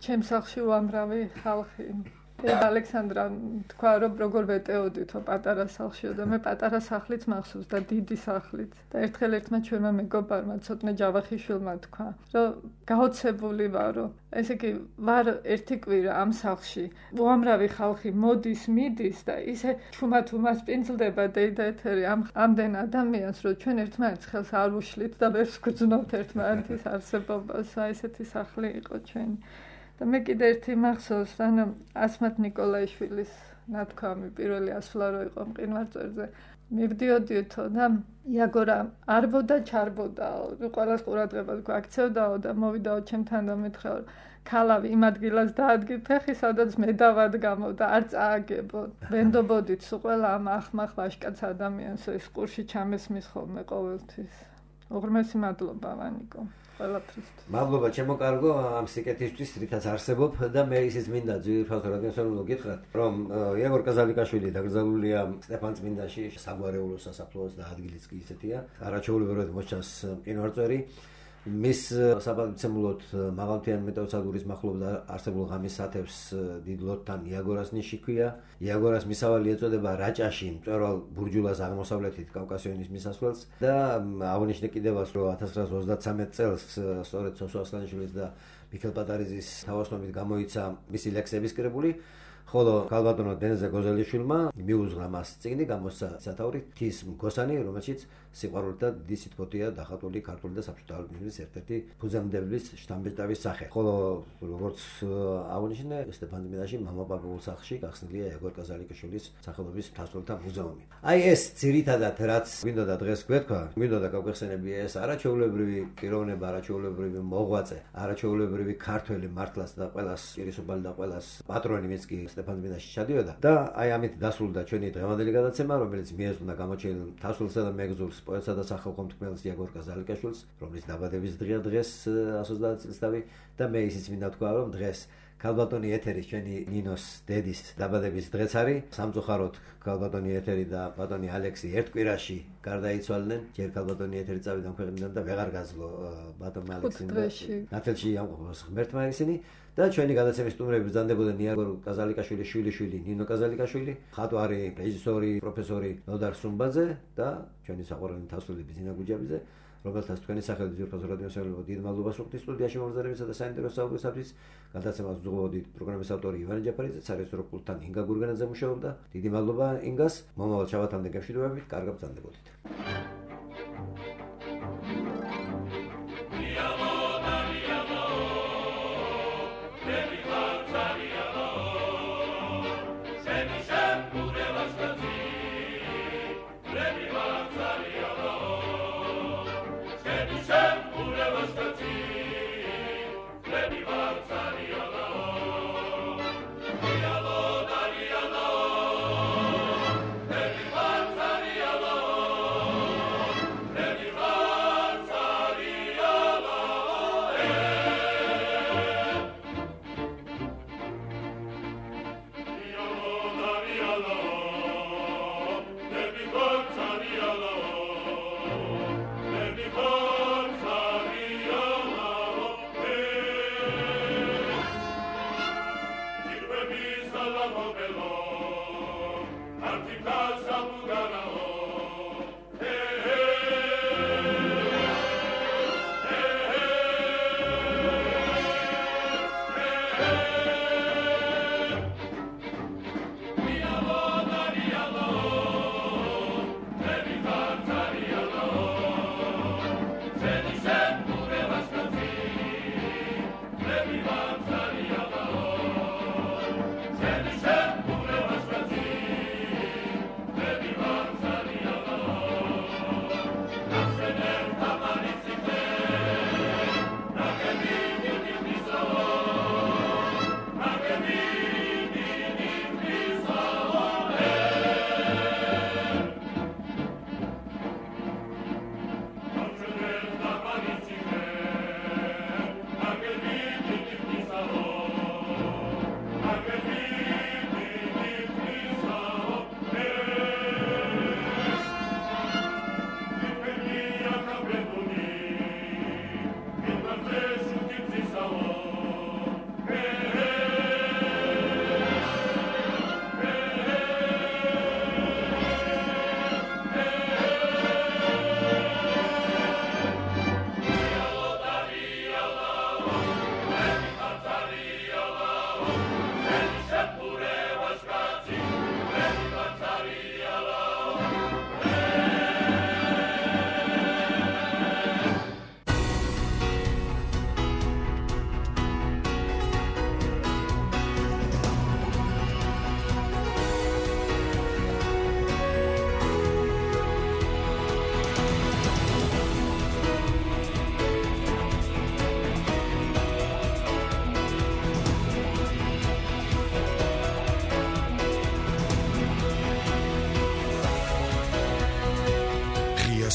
ჩემს სახლში უამრავი ხალხი. ალექსანდრა თქვა რომ როგორ ვეტეოდითო პატარა სახლშიო და მე პატარა სახლიც მახსოვს და დიდი სახლიც და ერთხელ ერთმა ჩვენმა მეგობარმა ცოტნე ჯავახიშვილმა თქვა რომ გაოცებული ვარო ესე იგი ვარ ერთი კვირა ამ სახლში უამრავი ხალხი მოდის მიდის და ისე ჩუმად უმასპინძლდება და ეთერი ამდენ ადამიანს რომ ჩვენ ერთმანეთს ხელს არ უშლით და ვერ ვგრძნობთ ერთმანეთის არსებობას ესეთი სახლი იყო ჩვენი და მე კიდე ერთი მახსოვს, ანუ ასმათ ნიკოლაიშვილის ნათქვამი პირველი ასვლა რო იყო მყინვარწვერზე. მივდიოდითო და იაგორა არბოდა ჩარბოდაო, ყველას ყურადღებას გვაქცევდაო და მოვიდაო ჩემთან და მითხრა ქალავი იმ ადგილას დაადგით ხე სადაც მე დავადგამო და არ წააგებო. ვენდობოდით სულ ყველა ამ ახმახ ვაშკაც ადამიანს ეს ყურში ჩამესმის ხოლმე ყოველთვის. უღრმესი მადლობა ვანიკო. მადლობა ჩემო კარგო ამ სიკეთისთვის რითაც არსებობ და მე ისიც მინდა ძირფალ რადიოსანულო გითხრათ რომ იაგორ კაზალიკაშვილი დაკრძალულია სტეფანწმინდაში საგვარეულო სასაფლაოს და ადგილიც კი ისეთია არაჩვეულებრივად მოჩანს მყინვარწვერი მის საბრძოლოდ მაღალმთიანი მეტეოსადგურის მახლობლად არსებულ ღამის სათევს დიდ ლოდთან იაგორას ნიში ქვია იაგორას მისავალი ეწოდება რაჭაში მწვერვალ ბურჯულას აღმოსავლეთით კავკასიონის მისასვლელს და აღნიშნე კიდევაც რომ 1933 წელს სწორედ სოსო ასლანიშვილის და მიქელ პატარიძის თავოსნობით გამოიცა მისი ლექსების კრებული ხოლო ქალბატონო დენზე გოზელიშვილმა მიუძღვნა მას წიგნი გამოსცა სათაური თის მგოსანი რომელშიც სიყვარულით და დიდი სითბოთია დახატული ქართული და საბჭოთა ალპინიზმის ერთ-ერთი ფუძემდებლის შთამბეჭდავის სახე ხოლო როგორც აღნიშნე სტეფანწმინდაში მამაპაპაულ სახლში გახსნილია იაგორ კაზალიკაშვილის სახელობის მთასვლელთა მუზეუმი აი ეს ძირითადად რაც გვინდოდა დღეს გვეთქვა გვინდოდა გავხსენები ეს არაჩვეულებრივი პიროვნება არაჩვეულებრივი მოღვაწე არაჩვეულებრივი ქართველი მართლაც და ყველას პირისუფალი და ყველას პატრონი ვინც კი სტეფანწმინდაში ჩადიოდა და აი ამით დასრულდა ჩვენი დღევანდელი გადაცემა რომელიც მიეძღვნა გამოჩენილ მთასვლელსა და მეგზურს პოეტსა და სახალხო მტკბელს იაგორ კაზალიკაშვილს რომლის დაბადების დღეა დღეს 130 წელსთავი და მე ისიც მინდა თქვა რომ დღეს ქალბატონი ეთერის ჩვენი ნინოს დედის დაბადების დღეც არის. სამწუხაროდ ქალბატონი ეთერი და ბატონი ალექსი ერთ კვირაში გარდაიცვალნენ. ჯერ ქალბატონი ეთერი წავიდა ქვეყნიდან და ვეღარ გაძლო ბატონმა ალექსიმ და ნათელში ამყოფოს ღმერთმა ისინი. და ჩვენი გადაცემის სტუმრები ბრძანდებოდა ნიაგორ კაზალიკაშვილის შვილიშვილი ნინო კაზალიკაშვილი, ხატვარი, რეჟისორი, პროფესორი ნოდარ სუმბაძე და ჩვენი საყვარელი თასვლები ზინა გუჯაბიძე, რომელთაც თქვენი სახელით ძირფას რადიოსეულო დიდ მადლობას ვუხდით სტუდიაში მომზადებისა და საინტერესო საუბრისათვის. გადაცემას უძღვებოდით პროგრამის ავტორი ივანე ჯაფარიძე, სარეჟისორო პულტთან ინგა გურგენაძე მუშაობდა. დიდი მადლობა ინგას. მომავალ შაბათამდე გემშვიდობებით, კარგად ბრძანდებოდით.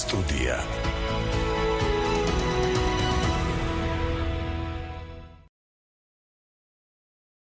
Студия.